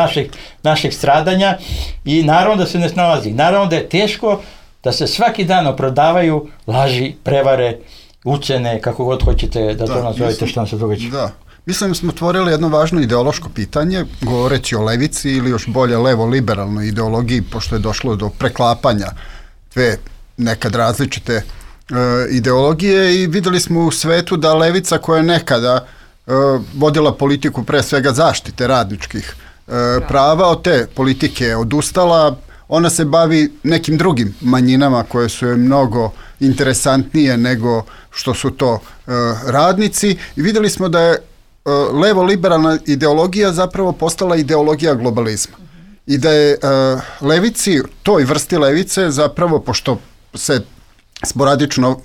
Speaker 4: naših stradanja i naravno da se ne snalazi. Naravno da je teško da se svaki dan opravdavaju laži, prevare, ucene, kako god hoćete da to nazovete što nam se događa.
Speaker 5: Da. Mislim da smo otvorili jedno važno ideološko pitanje, govoreći o levici ili još bolje levo-liberalnoj ideologiji, pošto je došlo do preklapanja dve nekad različite ideologije i videli smo u svetu da levica koja je nekada vodila politiku pre svega zaštite radničkih prava, od te politike odustala, ona se bavi nekim drugim manjinama koje su joj mnogo interesantnije nego što su to radnici i videli smo da je levo-liberalna ideologija zapravo postala ideologija globalizma. I da je levici, toj vrsti levice zapravo, pošto se sporadično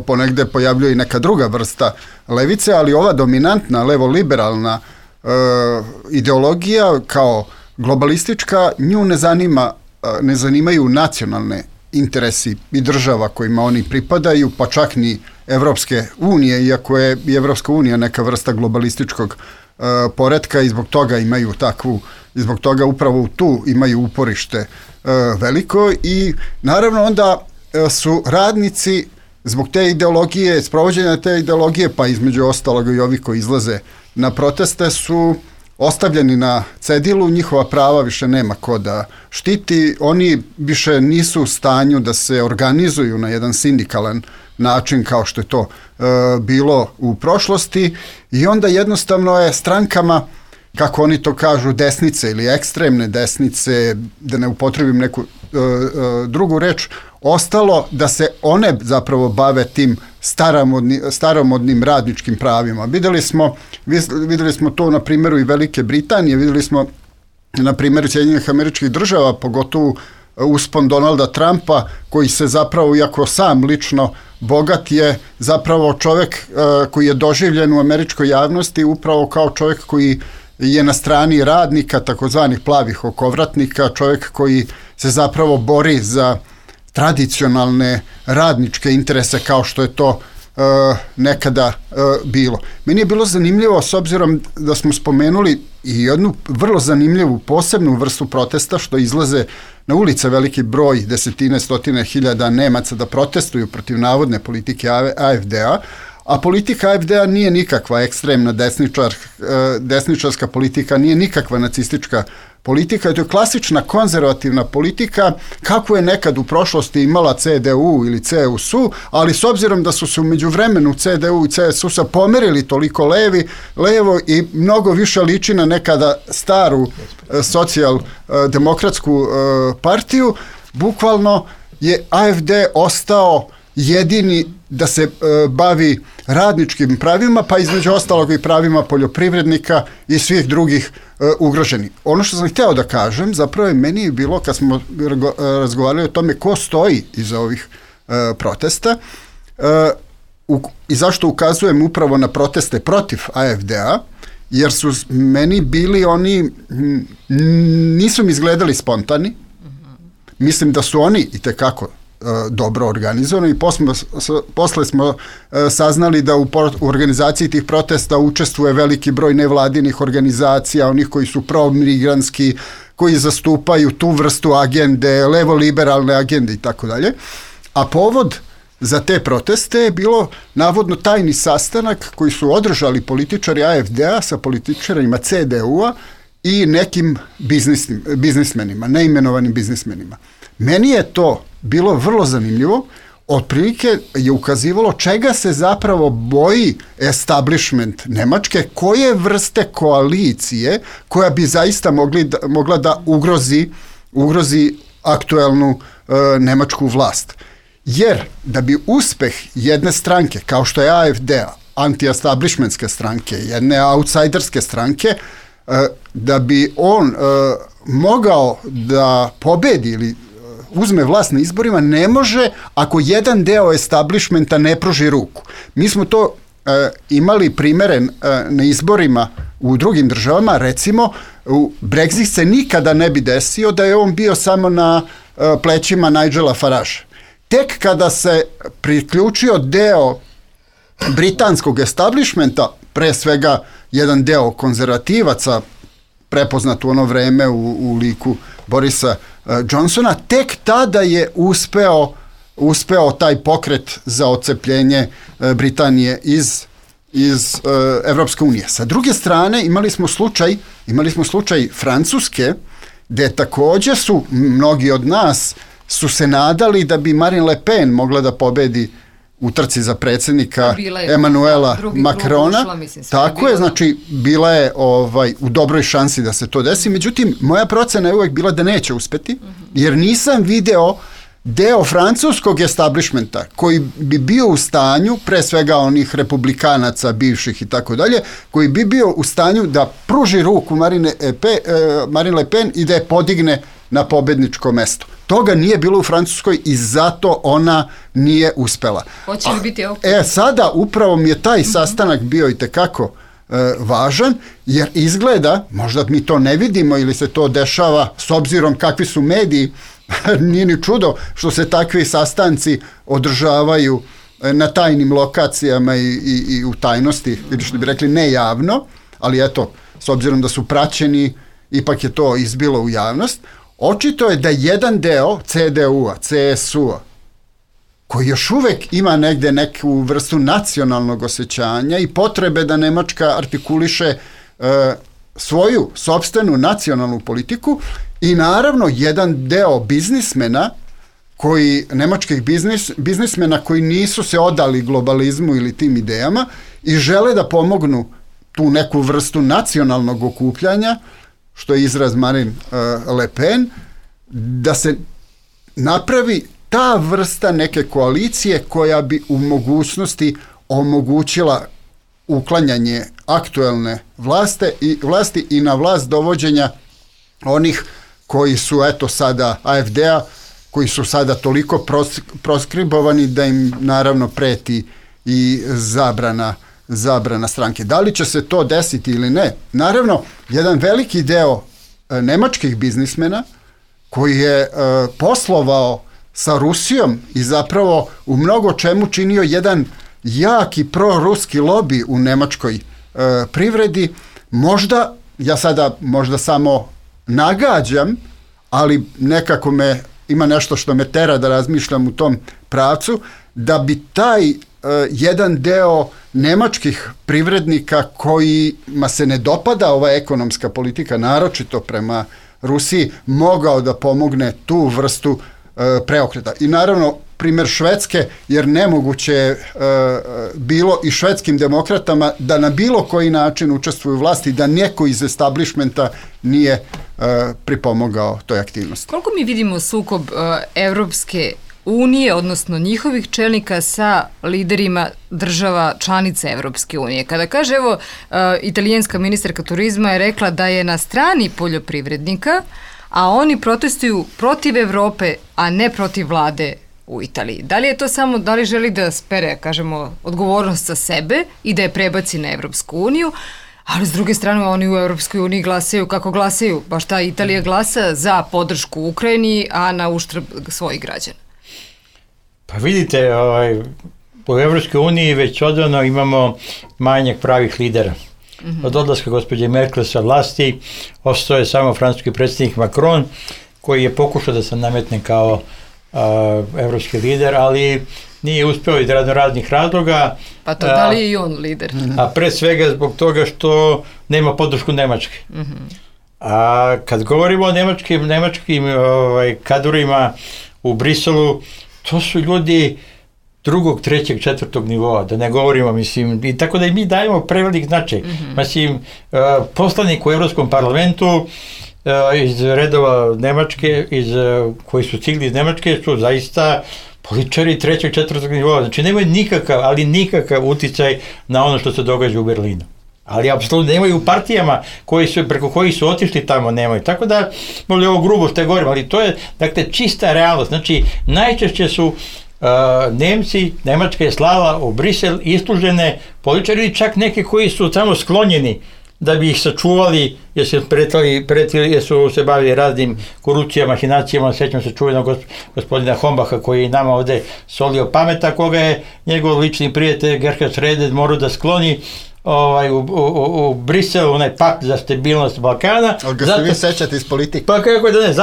Speaker 5: ponegde pojavljuje i neka druga vrsta levice, ali ova dominantna levo-liberalna ideologija kao globalistička, nju ne zanimaju nacionalne interesi i država kojima oni pripadaju, pa čak ni Evropske unije, iako je i Evropska unija neka vrsta globalističkog poretka i zbog toga imaju takvu, i zbog toga upravo tu imaju uporište veliko i naravno onda su radnici zbog te ideologije, sprovođenja te ideologije, pa između ostalog i ovi koji izlaze na proteste su ostavljeni na cedilu, njihova prava više nema ko da štiti, oni više nisu u stanju da se organizuju na jedan sindikalan način kao što je to bilo u prošlosti i onda jednostavno je strankama, kako oni to kažu, desnice ili ekstremne desnice, da ne upotrebim neku drugu reč, ostalo da se one zapravo bave tim staromodnim radničkim pravima. Videli smo to na primjeru i Velike Britanije, videli smo na primjeru Sjedinjenih Američkih Država, pogotovo uspon Donalda Trumpa, koji se zapravo, iako sam lično bogat, je zapravo čovjek koji je doživljen u američkoj javnosti upravo kao čovjek koji je na strani radnika, takozvanih plavih okovratnika, čovjek koji se zapravo bori za tradicionalne radničke interese kao što je to nekada bilo. Meni je bilo zanimljivo, s obzirom da smo spomenuli i jednu vrlo zanimljivu posebnu vrstu protesta, što izlaze na ulice veliki broj, desetine, stotine hiljada Nemaca da protestuju protiv navodne politike AfD-a, a politika AfD-a nije nikakva ekstremna desničarska politika, nije nikakva nacistička politika, to je klasična konzervativna politika kako je nekad u prošlosti imala CDU ili CSU, ali s obzirom da su se u međuvremenu CDU i CSU pomerili toliko levo i mnogo više liči na nekada staru socijaldemokratsku partiju, bukvalno je AfD ostao jedini da se bavi radničkim pravima, pa između ostalog i pravima poljoprivrednika i svih drugih ugroženih. Ono što sam hteo da kažem, zapravo je meni bilo, kad smo razgovarali o tome ko stoji iza ovih protesta i zašto ukazujem upravo na proteste protiv AfD-a, jer su meni bili oni, nisu mi izgledali spontani, mislim da su oni itekako dobro organizovano i posle smo saznali da u organizaciji tih protesta učestvuje veliki broj nevladinih organizacija, onih koji su pro-migranski, koji zastupaju tu vrstu agende, levo-liberalne agende i tako dalje. A povod za te proteste je bilo navodno tajni sastanak koji su održali političari AfD-a sa političarima CDU-a i nekim biznismenima, neimenovanim biznismenima. Meni je to bilo vrlo zanimljivo, otprilike je ukazivalo čega se zapravo boji establishment Nemačke, koje vrste koalicije koja bi zaista mogla da ugrozi aktuelnu nemačku vlast. Jer da bi uspeh jedne stranke, kao što je AfD, anti-establishmentske stranke, jedne outsiderske stranke, da bi on mogao da pobedi ili uzme vlast na izborima, ne može ako jedan deo establishmenta ne pruži ruku. Mi smo to imali primere na izborima u drugim državama, recimo Brexit se nikada ne bi desio da je on bio samo na plećima Nigela Faragea. Tek kada se priključio deo britanskog establishmenta, pre svega jedan deo konzervativaca, prepoznat u ono vreme u liku Borisa Johnsona, tek tada je uspeo taj pokret za odcepljenje Britanije iz Evropske unije. Sa druge strane imali smo slučaj Francuske, gde takođe su mnogi od nas su se nadali da bi Marine Le Pen mogla da pobedi u trci za predsjednika Emanuela Macrona. Tako je, znači bila je u dobroj šansi da se to desi, međutim moja procena je uvek bila da neće uspeti, jer nisam video deo francuskog establishmenta koji bi bio u stanju, pre svega onih republikanaca bivših i tako dalje, koji bi bio u stanju da pruži ruku Marine Le Pen i da je podigne na pobedničko mesto. Toga nije bilo u Francuskoj i zato ona nije uspela.
Speaker 3: Hoće li biti ovo?
Speaker 5: Sada upravo mi je taj sastanak bio itekako važan, jer izgleda, možda mi to ne vidimo ili se to dešava s obzirom kakvi su mediji, nije ni čudo što se takvi sastanci održavaju na tajnim lokacijama i u tajnosti, ili što bi rekli ne javno, ali eto, s obzirom da su praćeni, ipak je to izbilo u javnost. Očito je da jedan deo CDU-a, CSU-a, koji još uvek ima negde neku vrstu nacionalnog osjećanja i potrebe da Nemačka artikuliše svoju sopstvenu nacionalnu politiku, i naravno jedan deo biznismena, nemačkih biznismena koji nisu se odali globalizmu ili tim idejama i žele da pomognu tu neku vrstu nacionalnog okupljanja, što je izraz Marine Le Pen, da se napravi ta vrsta neke koalicije koja bi u mogućnosti omogućila uklanjanje aktuelne vlasti i na vlast dovođenja onih koji su sada AfD-a, koji su sada toliko proskribovani da im naravno preti i zabrana stranke. Da li će se to desiti ili ne? Naravno, jedan veliki deo nemačkih biznismena koji je poslovao sa Rusijom i zapravo u mnogo čemu činio jedan jaki proruski lobi u nemačkoj privredi. Možda, ja sada možda samo nagađam, ali nekako ima nešto što me tera da razmišljam u tom pravcu, da bi taj jedan deo nemačkih privrednika kojima se ne dopada ova ekonomska politika, naročito prema Rusiji, mogao da pomogne tu vrstu preokreta. I naravno, primjer Švedske, jer nemoguće je bilo i švedskim demokratama da na bilo koji način učestvuju u vlasti, da neko iz establishmenta nije pripomogao toj aktivnosti.
Speaker 3: Koliko mi vidimo sukob Evropske unije, odnosno njihovih čelnika sa liderima država članica Evropske unije? Kada kaže, evo, italijanska ministarka turizma je rekla da je na strani poljoprivrednika, a oni protestuju protiv Evrope, a ne protiv vlade u Italiji. Da li je to samo, da li želi da spere, kažemo, odgovornost sa sebe i da je prebaci na Evropsku uniju, ali s druge strane oni u Evropskoj uniji glasaju kako glasaju. Baš ta Italija glasa za podršku Ukrajini, a na uštrb svojih građana.
Speaker 4: Pa vidite, u Evropskoj uniji već odavno imamo manjak pravih lidera. Od odlaska gospođe Merkel sa vlasti ostao je samo francuski predsjednik Macron, koji je pokušao da se nametne kao evropski lider, ali nije uspeo iz raznih razloga. Pa to da li je i on lider? A pre svega zbog toga što nema podršku Nemačke. A kad govorimo o nemačkim kadrovima u Briselu, to su ljudi drugog, trećeg, četvrtog nivoa, da ne govorimo, mislim, i tako da i mi dajemo prevelik značaj. Mislim, poslanik u Evropskom parlamentu iz redova Nemačke, koji su stigli iz Nemačke, su zaista političari trećeg, četvrtog nivoa. Znači, nemaju nikakav uticaj na ono što se događa u Berlinu. Ali apsolutno nemaju u partijama preko kojih su otišli tamo, nemaju. Tako da, možda je ovo grubo što je govorim, ali to je, dakle, čista realnost. Znači, najčešće su Nemci, Nemačka je slala u Brisel islužene političari ili čak neke koji su tamo sklonjeni da bi ih sačuvali, jer su se bavili raznim korupcijama, mahinacijama. Sjećam se čuvenog gospodina Hombaha koji je nama ovde solio pameta, koga je njegov lični prijatelj Gerhard Schröder morao da skloni u Briselu, onaj pakt za stabilnost Balkana.
Speaker 5: Ali ga ste vi sećate iz politike?
Speaker 4: Pa kako da ne,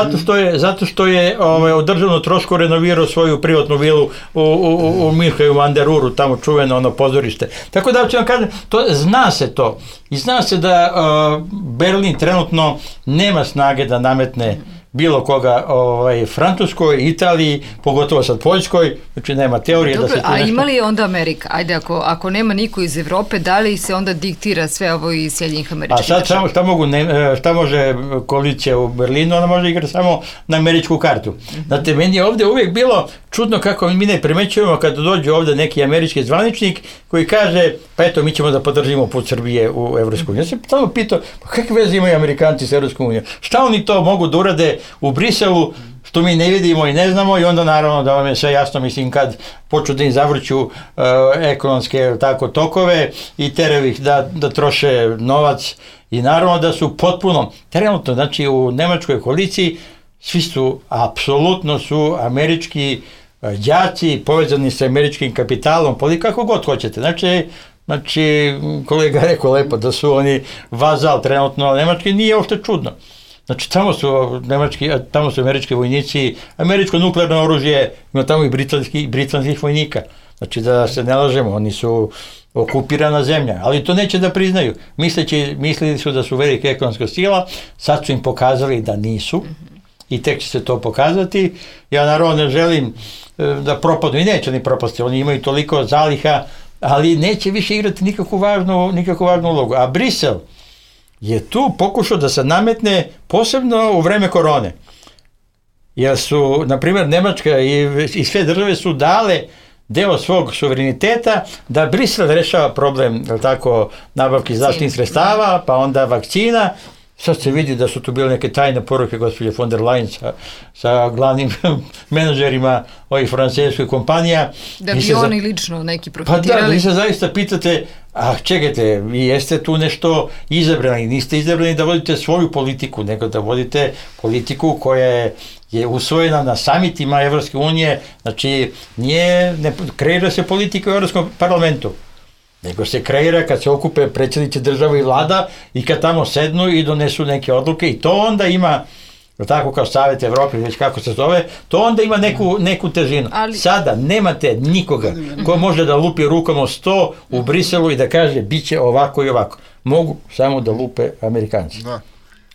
Speaker 4: zato što je održavno trošku renovirao svoju privatnu vilu u Mirhaju Anderuru, tamo čuveno ono pozorište. Tako da ću vam kažem, zna se to. I zna se da Berlin trenutno nema snage da nametne bilo koga Francuskoj, Italiji, pogotovo sad Poljskoj, znači nema teorije.
Speaker 3: Dobro, a ima li onda Amerika? Ajde, ako nema niko iz Evrope, da li se onda diktira sve ovo iz Sjedinjenih Američkih Država?
Speaker 4: A sad šta može koalicija u Berlinu? Ona može igrati samo na američku kartu. Znate, meni je ovdje uvijek bilo čudno kako mi ne primećujemo kada dođe ovdje neki američki zvaničnik koji kaže, pa eto, mi ćemo da podržimo put Srbije u Evropsku uniju. Ja sam tamo pitao, pa kakve veze imaju Amerikanci s Evropskom unijom? Šta oni to mogu da urade u Briselu, što mi ne vidimo i ne znamo, i onda naravno da vam je sve jasno, mislim, kad počnu da im zavrću ekonomske tokove i teraju ih da troše novac, i naravno da su potpuno, trenutno, znači u nemačkoj koaliciji, svi su, apsolutno su američki đaci povezani sa američkim kapitalom, kako god hoćete. Znači, kolega rekao lepo da su oni vazal trenutno nemački, nije uopšte čudno. Znači, tamo su američki vojnici, američko nuklearno oružje, ima tamo i britanskih vojnika. Znači, da se ne lažemo, oni su okupirana zemlja, ali to neće da priznaju. Mislili su da su velika ekonomska sila, sad su im pokazali da nisu i tek će se to pokazati. Ja naravno ne želim da propadnu, i neće ni propasti, oni imaju toliko zaliha, ali neće više igrati nikakvu važnu ulogu. A Brisel je tu pokušao da se nametne posebno u vreme korone. Jer su, na primjer, Nemačka i sve države su dale deo svog suvereniteta da Brisel rešava problem, nabavki zdravstvenih sredstava, pa onda vakcina. Sad se vidi da su tu bile neke tajne poruke gospođe von der Leyen sa glavnim menadžerima ovih francuskih kompanija.
Speaker 3: Da bi oni lično neki profitirali.
Speaker 4: Pa da, vi se zaista pitate, čekajte, vi jeste tu nešto izabrani, niste izabrani da vodite svoju politiku, nego da vodite politiku koja je je usvojena na samitima Evropske unije, znači ne kreira se politika u Evropskom parlamentu, nego se kreira kad se okupe predsjednici država i vlada i kad tamo sednu i donesu neke odluke i to onda ima, tako kao Savjet Evrope, već kako se zove, to onda ima neku težinu. Sada nemate nikoga ko može da lupi rukom o sto u Briselu i da kaže bit će ovako i ovako. Mogu samo da lupe Amerikanci.
Speaker 5: Da.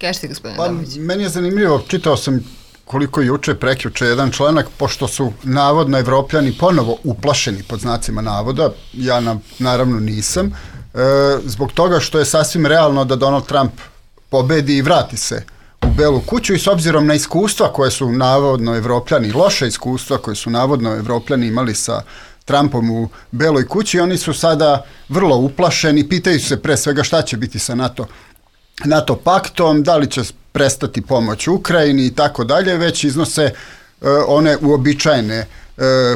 Speaker 3: Kažete, gospodine Damović.
Speaker 5: Meni je zanimljivo, čitao sam koliko juče, prekjuče jedan članak, pošto su navodno Evropljani ponovo uplašeni pod znacima navoda, ja naravno nisam, zbog toga što je sasvim realno da Donald Trump pobedi i vrati se u Belu kuću i s obzirom na iskustva koje su navodno Evropljani, loše iskustva koje su navodno Evropljani imali sa Trumpom u Beloj kući, oni su sada vrlo uplašeni, pitaju se pre svega šta će biti sa NATO paktom, da li će prestati pomoć Ukrajini i tako dalje, već iznose one uobičajene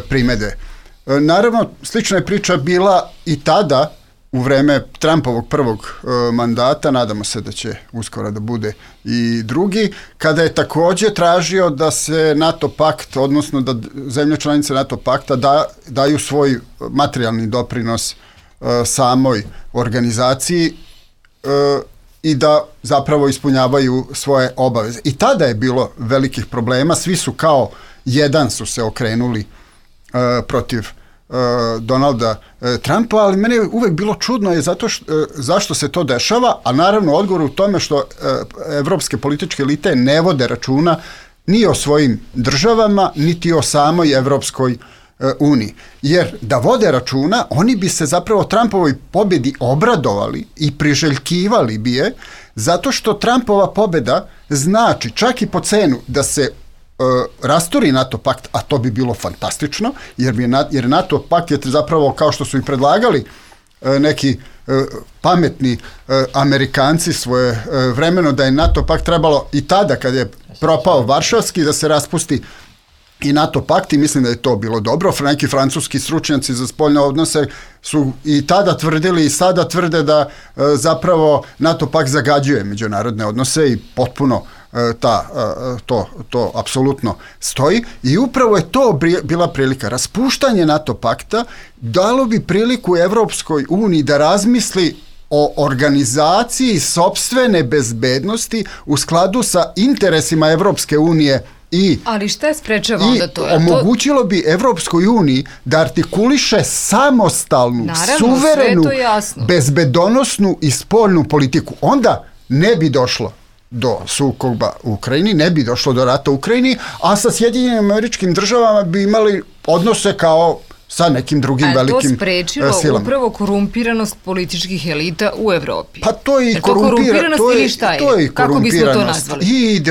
Speaker 5: primedbe. Naravno, slična je priča bila i tada, u vreme Trumpovog prvog mandata, nadamo se da će uskoro da bude i drugi, kada je također tražio da se NATO pakt, odnosno da zemlje članice NATO pakta daju svoj materijalni doprinos samoj organizaciji i da zapravo ispunjavaju svoje obaveze. I tada je bilo velikih problema, svi su kao jedan su se okrenuli protiv Donalda Trumpa, ali meni je uvek bilo čudno je zašto se to dešava, a naravno odgovor u tome što evropske političke elite ne vode računa ni o svojim državama, niti o samoj Evropskoj uniji. Jer da vode računa, oni bi se zapravo Trumpovoj pobjedi obradovali i priželjkivali bi je, zato što Trumpova pobjeda znači čak i po cenu da se rasturi NATO pakt, a to bi bilo fantastično, jer NATO pakt je zapravo, kao što su i predlagali neki pametni Amerikanci svoje vremeno, da je NATO pakt trebalo i tada kad je propao Varšavski da se raspusti i NATO pakt, i mislim da je to bilo dobro. Neki francuski stručnjaci za spoljne odnose su i tada tvrdili i sada tvrde da zapravo NATO pakt zagađuje međunarodne odnose i potpuno to apsolutno stoji i upravo je to bila prilika. Raspuštanje NATO pakta dalo bi priliku Evropskoj uniji da razmisli o organizaciji sopstvene bezbednosti u skladu sa interesima Evropske unije.
Speaker 3: Ali šta je sprečava onda to?
Speaker 5: Omogućilo bi Evropskoj uniji da artikuliše samostalnu, suverenu, bezbedonosnu i spoljnu politiku. Onda ne bi došlo do sukoba u Ukrajini, ne bi došlo do rata u Ukrajini, a sa Sjedinjenim Američkim Državama bi imali odnose kao sa nekim drugim velikim silama.
Speaker 3: A to sprečilo upravo korumpiranost političkih elita u Evropi?
Speaker 5: Pa to je i
Speaker 3: korumpiranost ili šta je? Kako bismo to nazvali?
Speaker 5: I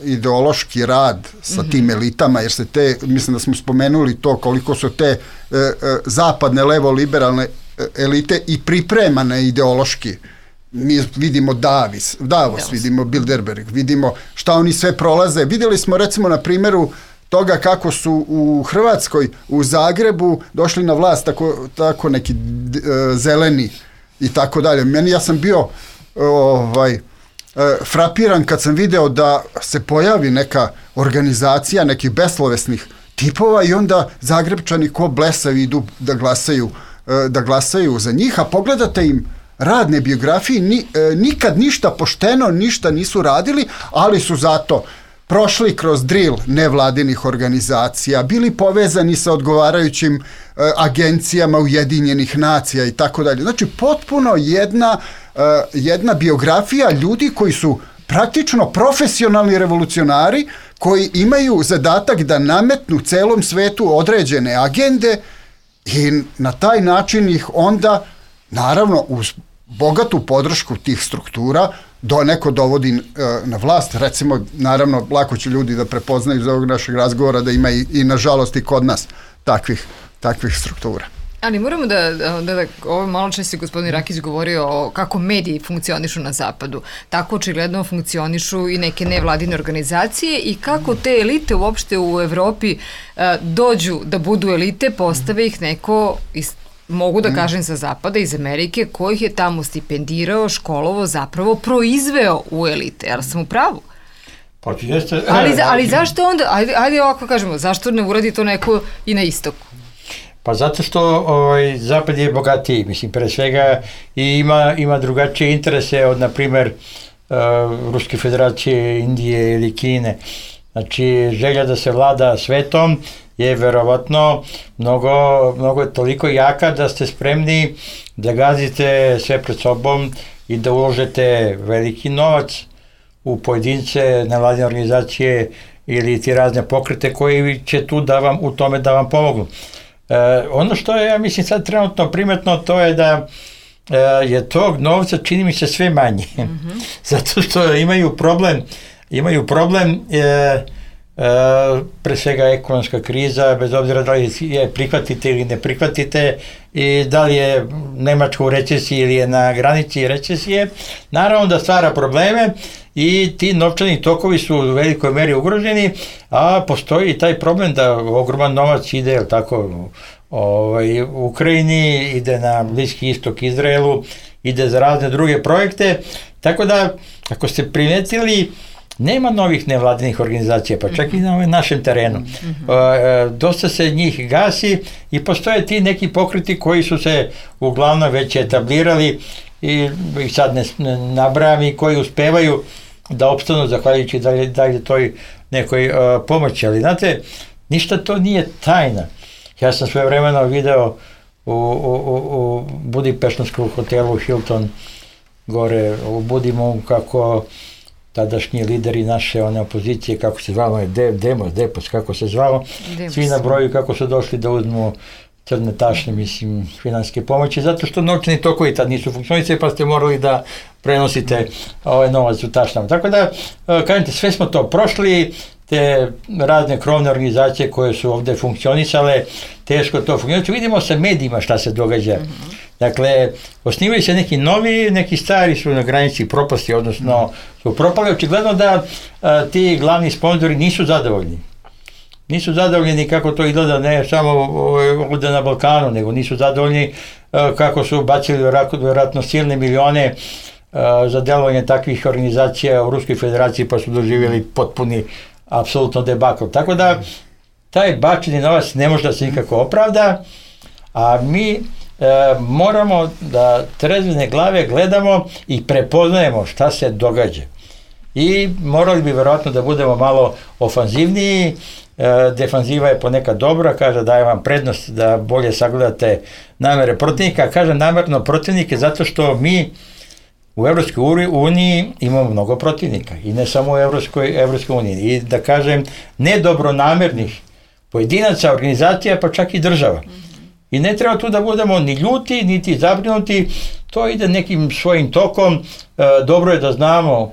Speaker 5: ideološki rad sa tim elitama, jer se mislim da smo spomenuli to koliko su te zapadne levo-liberalne elite i pripremane ideološki. Mi vidimo Davos, vidimo Bilderberg, vidimo šta oni sve prolaze. Vidjeli smo recimo na primjeru toga kako su u Hrvatskoj, u Zagrebu došli na vlast tako neki zeleni i tako dalje. Ja sam bio frapiran kad sam video da se pojavi neka organizacija nekih beslovesnih tipova i onda Zagrebčani ko blesavi idu da glasaju za njih, a pogledate im radne biografije, nikad ništa pošteno, ništa nisu radili, ali su zato prošli kroz drill nevladinih organizacija, bili povezani sa odgovarajućim agencijama Ujedinjenih nacija i tako dalje. Znači, potpuno jedna biografija ljudi koji su praktično profesionalni revolucionari, koji imaju zadatak da nametnu celom svetu određene agende i na taj način ih onda, naravno, uz bogatu podršku tih struktura, neko dovodi na vlast. Recimo, naravno, lako će ljudi da prepoznaju iz ovog našeg razgovora da ima i nažalost i kod nas takvih struktura.
Speaker 3: Ali moramo ovo malo često je gospodin Rakić govorio o kako mediji funkcionišu na zapadu. Tako očigledno funkcionišu i neke nevladine organizacije i kako te elite uopšte u Evropi dođu da budu elite, postave ih neko mogu da kažem sa zapada, iz Amerike, kojih je tamo stipendirao, školovo, zapravo proizveo u elite. Ja sam u pravu?
Speaker 4: Pa jeste...
Speaker 3: Ali zašto onda, ajde ovako kažemo, zašto ne uradi to neko i na istoku?
Speaker 4: Pa zato što Zapad je bogatiji, mislim, pre svega i ima drugačije interese od, na primjer, Ruske federacije, Indije ili Kine. Znači, želja da se vlada svetom je verovatno mnogo toliko jaka da ste spremni da gazite sve pred sobom i da uložete veliki novac u pojedince, nevladine organizacije ili ti razne pokrete koji će tu u tome da vam pomognu. Ono što je, ja mislim, sad trenutno primetno, to je da je tog novca, čini mi se, sve manje. Zato što imaju problem pre svega ekonomska kriza, bez obzira da li je prihvatite ili ne prihvatite i da li je Nemačka u recesiji ili je na granici recesije, naravno da stvara probleme i ti novčani tokovi su u velikoj meri ugroženi, a postoji taj problem da ogroman novac ide u Ukrajini, ide na Bliski istok, Izraelu, ide za razne druge projekte, tako da ako ste primetili, nema novih nevladinih organizacija, pa čak i na našem terenu. Dosta se njih gasi i postoje ti neki pokreti koji su se uglavnom već etablirali i sad ne nabrajam i koji uspevaju da opstanu zahvaljujući dalje toj nekoj pomoći. Ali znate, ništa to nije tajna. Ja sam svojevremeno video u Budimpeštanskom hotelu Hilton gore u Budimu kako tadašnji lideri naše one opozicije, kako se zvalo, Demos, kako se zvalo, svi na broju kako su došli da uzmu crne tašne, mislim, financijske pomoći, zato što novčani tokovi tad nisu funkcionisali, pa ste morali da prenosite ovaj novac u tašnama. Tako da, kažete, sve smo to prošli, te razne krovne organizacije koje su ovde funkcionisale, teško to funkcionisati. Vidimo sa medijima šta se događa. Dakle, osnivaju se neki novi, neki stari su na granici propasti, odnosno su propali. Očigledno da ti glavni sponzori nisu zadovoljni. Nisu zadovoljni kako to izgleda, ne samo ovdje na Balkanu, nego nisu zadovoljni kako su bacili vjerojatno silne milione za delovanje takvih organizacija u Ruskoj federaciji, pa su doživjeli potpuni apsolutno debakl. Tako da taj bačeni novac ne može da se nikako opravda, a mi moramo da trezvene glave gledamo i prepoznajemo šta se događa. I morali bi verovatno da budemo malo ofanzivniji, defanziva je ponekad dobra, kaže daje vam prednost da bolje sagledate namere protivnika, kaže namerno protivnike zato što mi u Evropskoj uniji imamo mnogo protivnika i ne samo u Evropskoj uniji. I da kažem, nedobronamernih pojedinaca, organizacija, pa čak i država. I ne treba tu da budemo ni ljuti, niti zabrinuti, to ide nekim svojim tokom, dobro je da znamo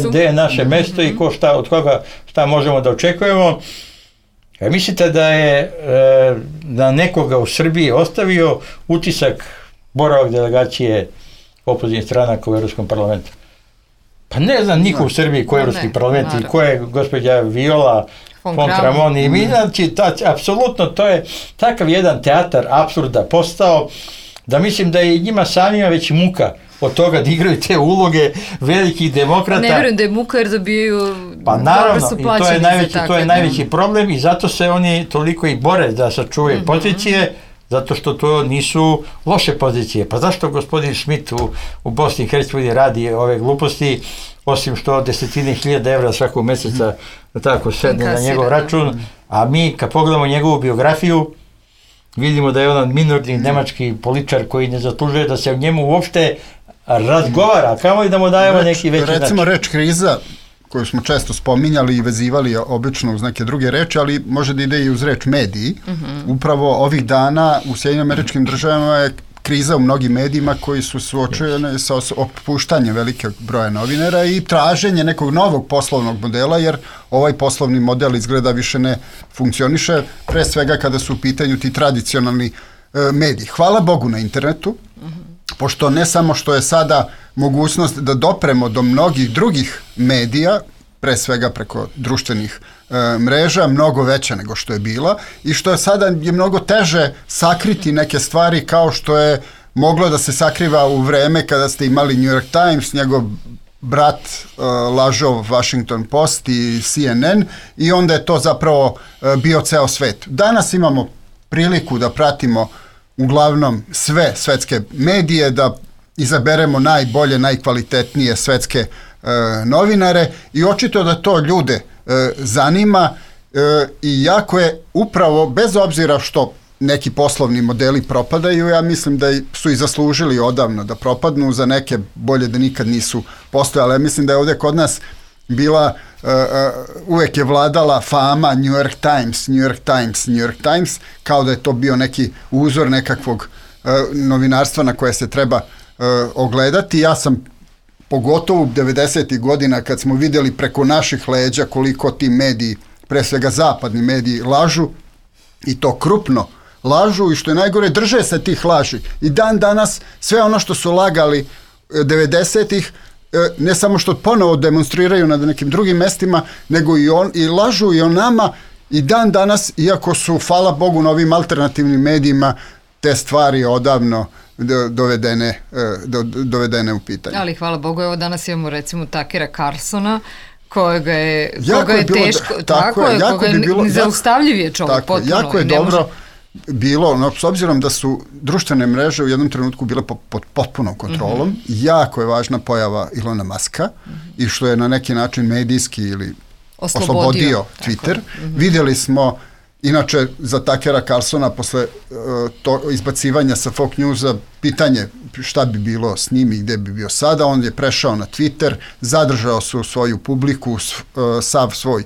Speaker 4: gde je naše mesto i od koga šta možemo da očekujemo. Mislite da je na nekoga u Srbiji ostavio utisak boravak delegacije opozicijnih stranaka u Evropskom parlamentu? Pa ne znam niko u Srbiji ko je Evropski parlament i ko je gospođa Viola von Kramon i mi, znači, apsolutno to je takav jedan teatar apsurda postao da mislim da je njima samima već muka od toga da igraju te uloge velikih demokrata.
Speaker 3: Ne vjerujem da je muka jer dobijaju
Speaker 4: pa naravno, i to je najveći problem i zato se oni toliko i bore da sačuvaju pozicije, zato što to nisu loše pozicije. Pa zašto gospodin Schmidt u Bosni i Hercegovini radi ove gluposti, osim što 10.000 evra svakog meseca tako sedne na njegov račun, a mi kad pogledamo njegovu biografiju, vidimo da je on minorni nemački političar koji ne zaslužuje da se o njemu uopšte razgovara, kamo i da mu dajemo neki veći način.
Speaker 5: Recimo reč kriza, koju smo često spominjali i vezivali obično uz neke druge reči, ali može da ide i uz reč mediji. Upravo ovih dana u Sjedinjenim Američkim Državama je kriza u mnogim medijima koji su suočeni sa otpuštanjem velikog broja novinara i traženje nekog novog poslovnog modela, jer ovaj poslovni model izgleda više ne funkcioniše, pre svega kada su u pitanju ti tradicionalni mediji. Hvala Bogu na internetu, pošto ne samo što je sada mogućnost da dopremo do mnogih drugih medija, pre svega preko društvenih mreža, mnogo veća nego što je bila i što je sada je mnogo teže sakriti neke stvari kao što je moglo da se sakriva u vreme kada ste imali New York Times, njegov brat lažov Washington Post i CNN i onda je to zapravo bio ceo svet. Danas imamo priliku da pratimo uglavnom sve svetske medije, da izaberemo najbolje, najkvalitetnije svetske novinare i očito da to ljude zanima i jako je upravo, bez obzira što neki poslovni modeli propadaju, ja mislim da su i zaslužili odavno da propadnu, za neke bolje da nikad nisu postojale. Ja mislim da je ovdje kod nas bila, uvek je vladala fama New York Times, kao da je to bio neki uzor nekakvog novinarstva na koje se treba ogledati. Ja sam pogotovo 90. godina kad smo vidjeli preko naših leđa koliko ti mediji, pre svega zapadni mediji, lažu i to krupno lažu i što je najgore drže se tih laži. I dan danas sve ono što su lagali 90-ih ne samo što ponovo demonstriraju na nekim drugim mestima, nego i lažu i o nama i dan danas, iako su, hvala Bogu, novim alternativnim medijima te stvari odavno dovedene u pitanje.
Speaker 3: Ali hvala Bogu, evo danas imamo recimo Takera Carlsona, koga je teško, koga je nezaustavljiv je čovjek, potpuno.
Speaker 5: Jako je dobro bilo, no, s obzirom da su društvene mreže u jednom trenutku bile pod potpunom kontrolom, jako je važna pojava Ilona Muska i što je na neki način medijski ili oslobodio Twitter. Vidjeli smo, inače, za Takera Carlsona posle izbacivanja sa Fox Newsa pitanje šta bi bilo s njim i gde bi bio sada, on je prešao na Twitter, zadržao su svoju publiku, sav svoj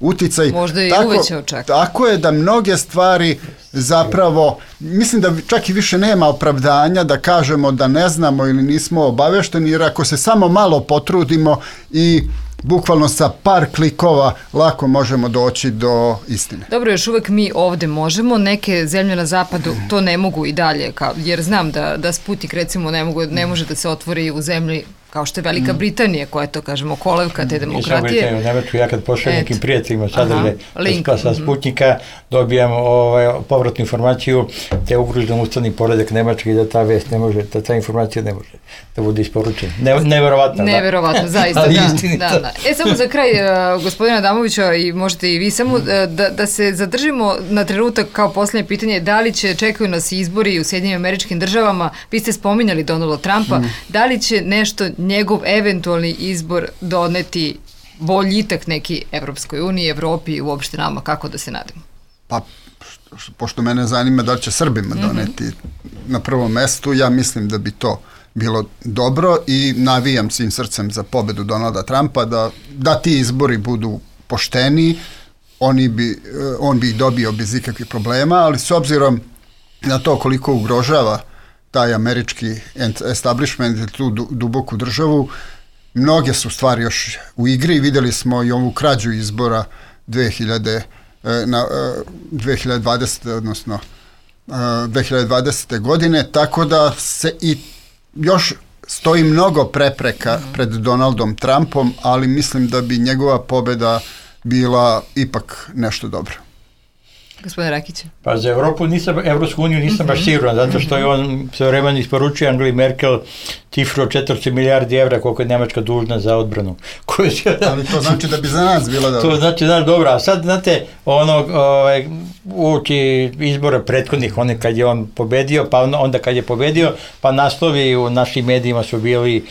Speaker 5: uticaj.
Speaker 3: Možda je i uvećao čak.
Speaker 5: Tako je da mnoge stvari zapravo, mislim da čak i više nema opravdanja da kažemo da ne znamo ili nismo obavešteni, jer ako se samo malo potrudimo i bukvalno sa par klikova lako možemo doći do istine.
Speaker 3: Dobro, još uvek mi ovde možemo, neke zemlje na zapadu to ne mogu i dalje, jer znam da Sputnik recimo ne može da se otvori u zemlji kao što je Velika Britanija, koja je to, kažemo, kolevka te demokratije.
Speaker 4: U Nemačku, ja kad pošaljem nekim prijateljima sadržaj sa Sputnika, dobijam povratnu informaciju te ugrožen ustavni poredak Nemačke i da ta vest ne može, da ta informacija ne može da bude isporučena. Neverovatno.
Speaker 3: Neverovatno, zaista, da. Samo za kraj, gospodina Adamovića, i možete i vi, samo da se zadržimo na trenutak kao posljednje pitanje, da li čekaju nas izbori u Sjedinjenim Američkim Državama, vi ste spominjali Donalda Trumpa, da li će nešto njegov eventualni izbor doneti boljitak neki Evropskoj uniji, Evropi i uopšte nama, kako da se nadamo?
Speaker 5: Pa, pošto mene zanima da li će Srbima doneti na prvom mestu, ja mislim da bi to bilo dobro i navijam svim srcem za pobedu Donalda Trumpa, da ti izbori budu pošteni, on bi ih dobio bez ikakvih problema, ali s obzirom na to koliko ugrožava taj američki establishment, tu duboku državu, mnoge su stvari još u igri. Vidjeli smo i ovu krađu izbora 2020. odnosno 2020. godine, tako da se i još stoji mnogo prepreka pred Donaldom Trumpom, ali mislim da bi njegova pobeda bila ipak nešto dobro.
Speaker 3: Gospodin Rakić.
Speaker 4: Pa za Evropsku uniju nisam baš siguran, zato što je on sve vremena isporučio Angeli Merkel cifru od 400 milijardi evra koliko je Nemačka dužna za odbranu.
Speaker 5: Ali to znači da bi za nas bilo dobro.
Speaker 4: To znači da je dobro, a sad znate, uoči izbora prethodnih, kad je on pobedio, pa onda kad je pobedio, pa naslovi u našim medijima su bili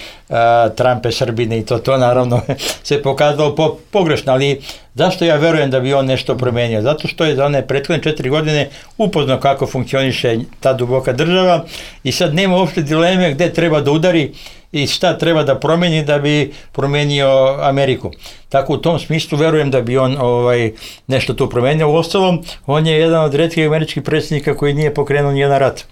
Speaker 4: Trumpe Srbine i to naravno se pokazalo pogrešno, ali zašto ja verujem da bi on nešto promenio? Zato što je za one prethodne 4 godine upoznao kako funkcioniše ta duboka država i sad nema uopšte dileme gde treba da udari i šta treba da promeni da bi promenio Ameriku. Tako u tom smislu verujem da bi on nešto tu promenio. Uostalom, on je jedan od retkih američkih predsjednika koji nije pokrenuo nijedan rat.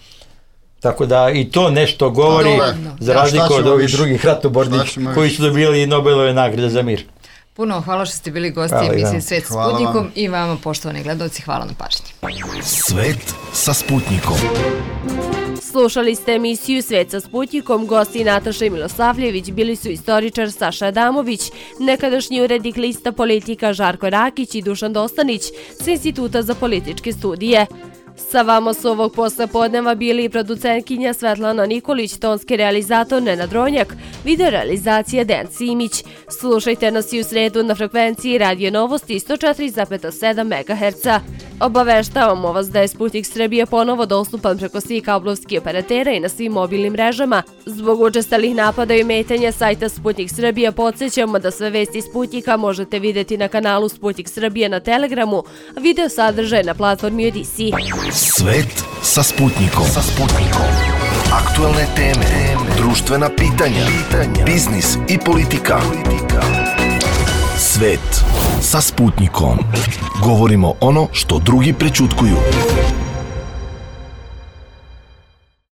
Speaker 4: Tako da i to nešto govori za razliku od ovih drugih ratobornih koji su dobili Nobelove nagrade za mir.
Speaker 3: Puno hvala što ste bili gosti emisije Svet sa Sputnikom i vama, poštovani gledalci, hvala na pažnji.
Speaker 1: Svet sa Sputnikom.
Speaker 2: Slušali ste emisiju Svet sa Sputnikom, gosti Nataša Milosavljević, bili su istoričar Saša Adamović, nekadašnji urednik lista Politika Žarko Rakić i Dušan Dostanić s Instituta za političke studije. Sa vama su ovog poslepodneva bili i producentkinja Svetlana Nikolić, tonski realizator Nenad Ronjak, video realizacija Dejan Simić. Slušajte nas i u sredu na frekvenciji Radio Novosti 104,7 MHz. Obaveštavamo vas da je Sputnik Srbije ponovo dostupan preko svih kablovskih operatera i na svim mobilnim mrežama. Zbog učestalih napada i ometanja sajta Sputnik Srbije podsjećamo da sve vesti Sputnika možete vidjeti na kanalu Sputnik Srbije na Telegramu, a video sadržaj na platformi Odisi.
Speaker 1: Svet sa Sputnikom. Aktualne teme, društvena pitanja, biznis i politika. Svet sa Sputnikom. Govorimo ono što drugi prećutkuju.